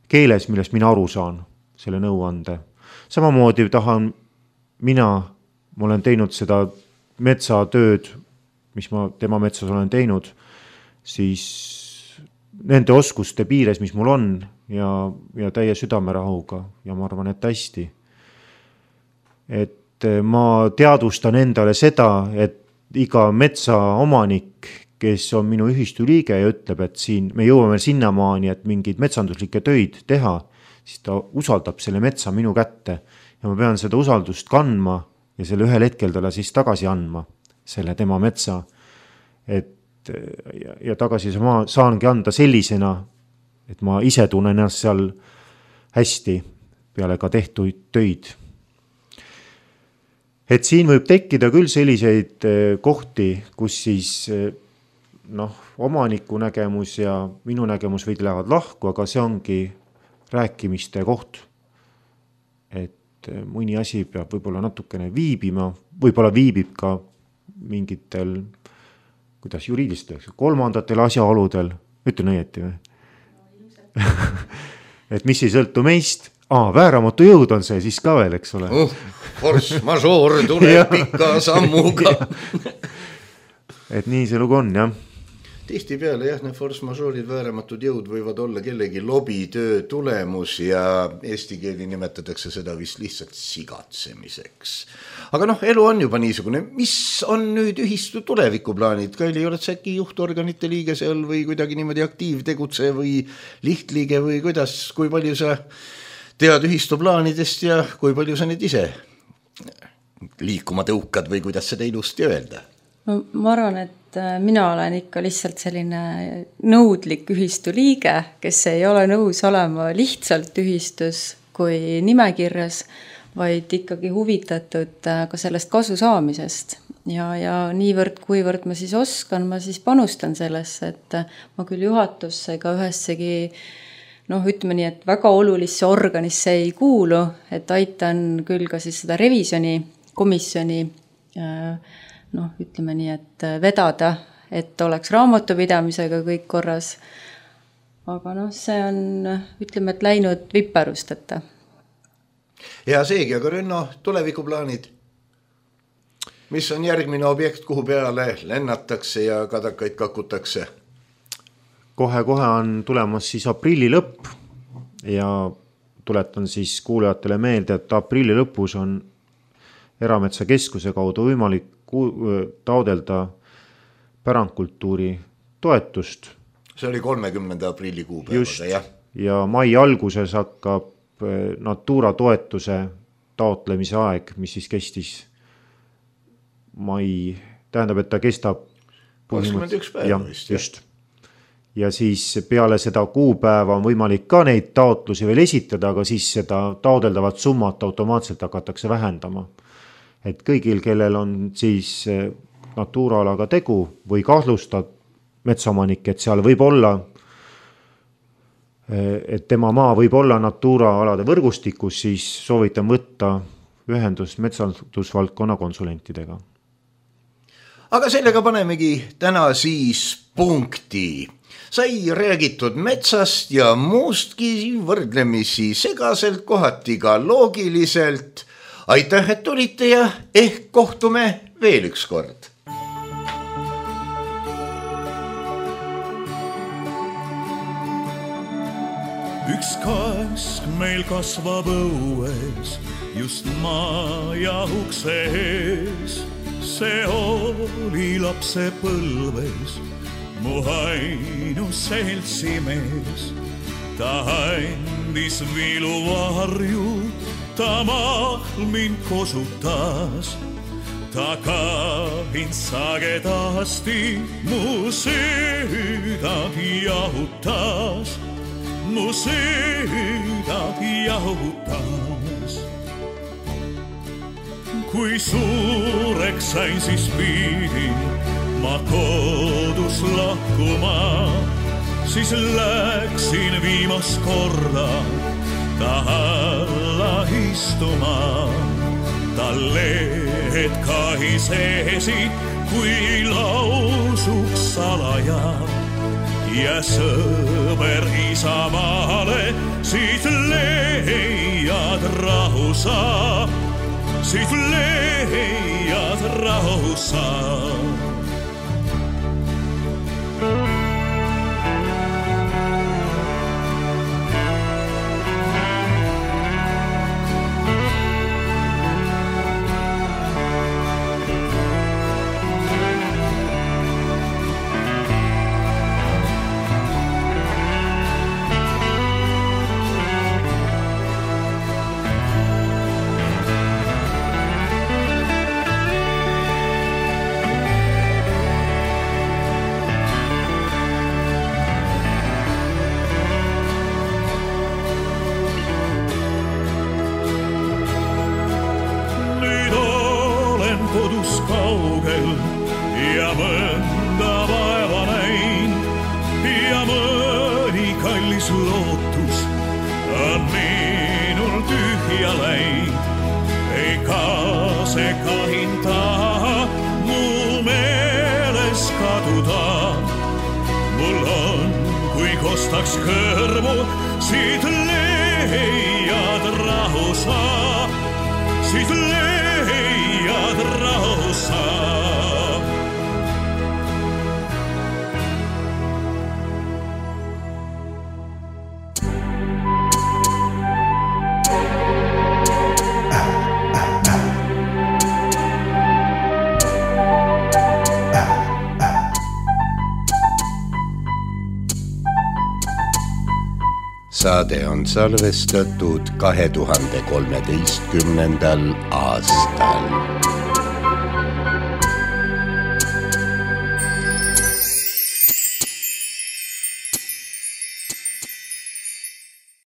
keeles, millest mina aru saan selle nõuande. Samamoodi tahan mina, ma olen teinud seda metsatööd, mis ma tema metsas olen teinud, siis nende oskuste piires, mis mul on ja, ja täie südamerahuga ja ma arvan, et hästi. Et ma teadvustan endale seda, et iga metsaomanik, kes on minu ühistu liige ja ütleb, et siin me jõuame sinnamaani, et mingid metsanduslikke töid teha, siis ta usaldab selle metsa minu kätte ja ma pean seda usaldust kandma ja selle ühel hetkel talle siis tagasi andma, selle tema metsa. Et, ja, ja tagasi ma saangi anda sellisena, et ma ise tunnen ennast seal hästi peale ka tehtuid töid. Et siin võib tekkida küll selliseid kohti, kus siis noh, omaniku nägemus ja minu nägemus võid lähevad lahku, aga see ongi rääkimiste koht. Et mõni asi peab võib-olla natukene viibima, võib-olla viibib ka mingitel, kuidas juriidistel, kolmandatel asjaoludel, ütlen õieti või? Et mis ei sõltu meist, Aa, vääramatu jõud on see siis ka veel, eks ole. Uh, force majeure tuleb pika sammuga. Et nii see lugu on, jah. Tihti peale, jah, need force majeure'id vääramatud jõud võivad olla kellegi lobitöö tulemus ja eesti keeli nimetatakse seda vist lihtsalt sigatsemiseks. Aga noh, elu on juba niisugune. Mis on nüüd ühistu tulevikuplaanid? Kaili, oled sa äkki juhtorganite liige seal või kuidagi niimoodi aktiivtegutse või lihtliige või kuidas, kui palju sa tead ühistu plaanidest ja kui palju sa nüüd ise liikuma tõukad või kuidas seda ilusti öelda? No, ma arvan, et mina olen ikka lihtsalt selline nõudlik ühistu liige, kes ei ole nõus olema lihtsalt ühistus kui nimekirjas, vaid ikkagi huvitatud ka sellest kasu saamisest. Ja, ja niivõrd, kuivõrd ma siis oskan, ma siis panustan sellesse, et ma küll juhatusse ega ühessegi, noh, ütleme nii, et väga olulisse organisse ei kuulu, et aitan küll ka siis seda revisjoni komisjoni, noh, ütleme nii, et vedada, et oleks raamatupidamisega kõik korras. Aga noh, see on, ütleme, et läinud viperusteta. Ja seegi, aga Rünno, tulevikuplaanid? Mis on järgmine objekt, kuhu peale lennatakse ja kadakaid kakutakse? Kohe-kohe on tulemas siis aprilli lõpp ja tuletan siis kuulajatele meelde, et aprilli lõpus on Erametsakeskuse kaudu võimalik taodelda pärandkultuuri toetust. See oli kolmekümnenda aprilli kuupäevada, jah. Ja mai alguses hakkab Natura toetuse taotlemise aeg, mis siis kestis mai, tähendab, et ta kestab kakskümmend üks päeva vist. Just. Ja siis peale seda kuupäeva on võimalik ka neid taotlusi veel esitada, aga siis seda taodeldavat summat automaatselt hakatakse vähendama. Et kõigil, kellel on siis Natura-alaga tegu või kahtlustab metsaomanik, et seal võib olla, et tema maa võib olla Natura-alade võrgustikus, siis soovitan võtta ühendust metsandusvaldkonna konsulentidega. Aga sellega panemegi täna siis punkti. Sai räägitud metsast ja muustki võrdlemisi segaselt, kohati ka loogiliselt. Aitäh, et tulite ja ehk kohtume veel üks kord. Üks kask meil kasvab õues, just maa ja ukse ees. See oli lapse põlves, mu ainus seltsimees. Ta andis viluvarju, ta mahmin kosutas. Ta kahin sagedasti, mu südad jahutas. Mu südad jahutas. Kui suureks sain, siis pidin ma kodus lahkuma. Siis läksin viimast korda ta alla istuma. Ta lehed kahisesid, kui lausuks salaja. Ja sõber isamaale, siis leiad rahu sa, siis leiad rahu sa. Kodus kaugel ja mõnda vaeva näin ja mõni kallis lootus on minul tühja läinud. Ega see kahin taha mu meeles kaduda. Mul on, kui kostaks kõrvu, siit leiad rahu sa, siit leiad rahu sa. Saade on salvestatud kahe tuhande kolmeteistkümnendal aastal.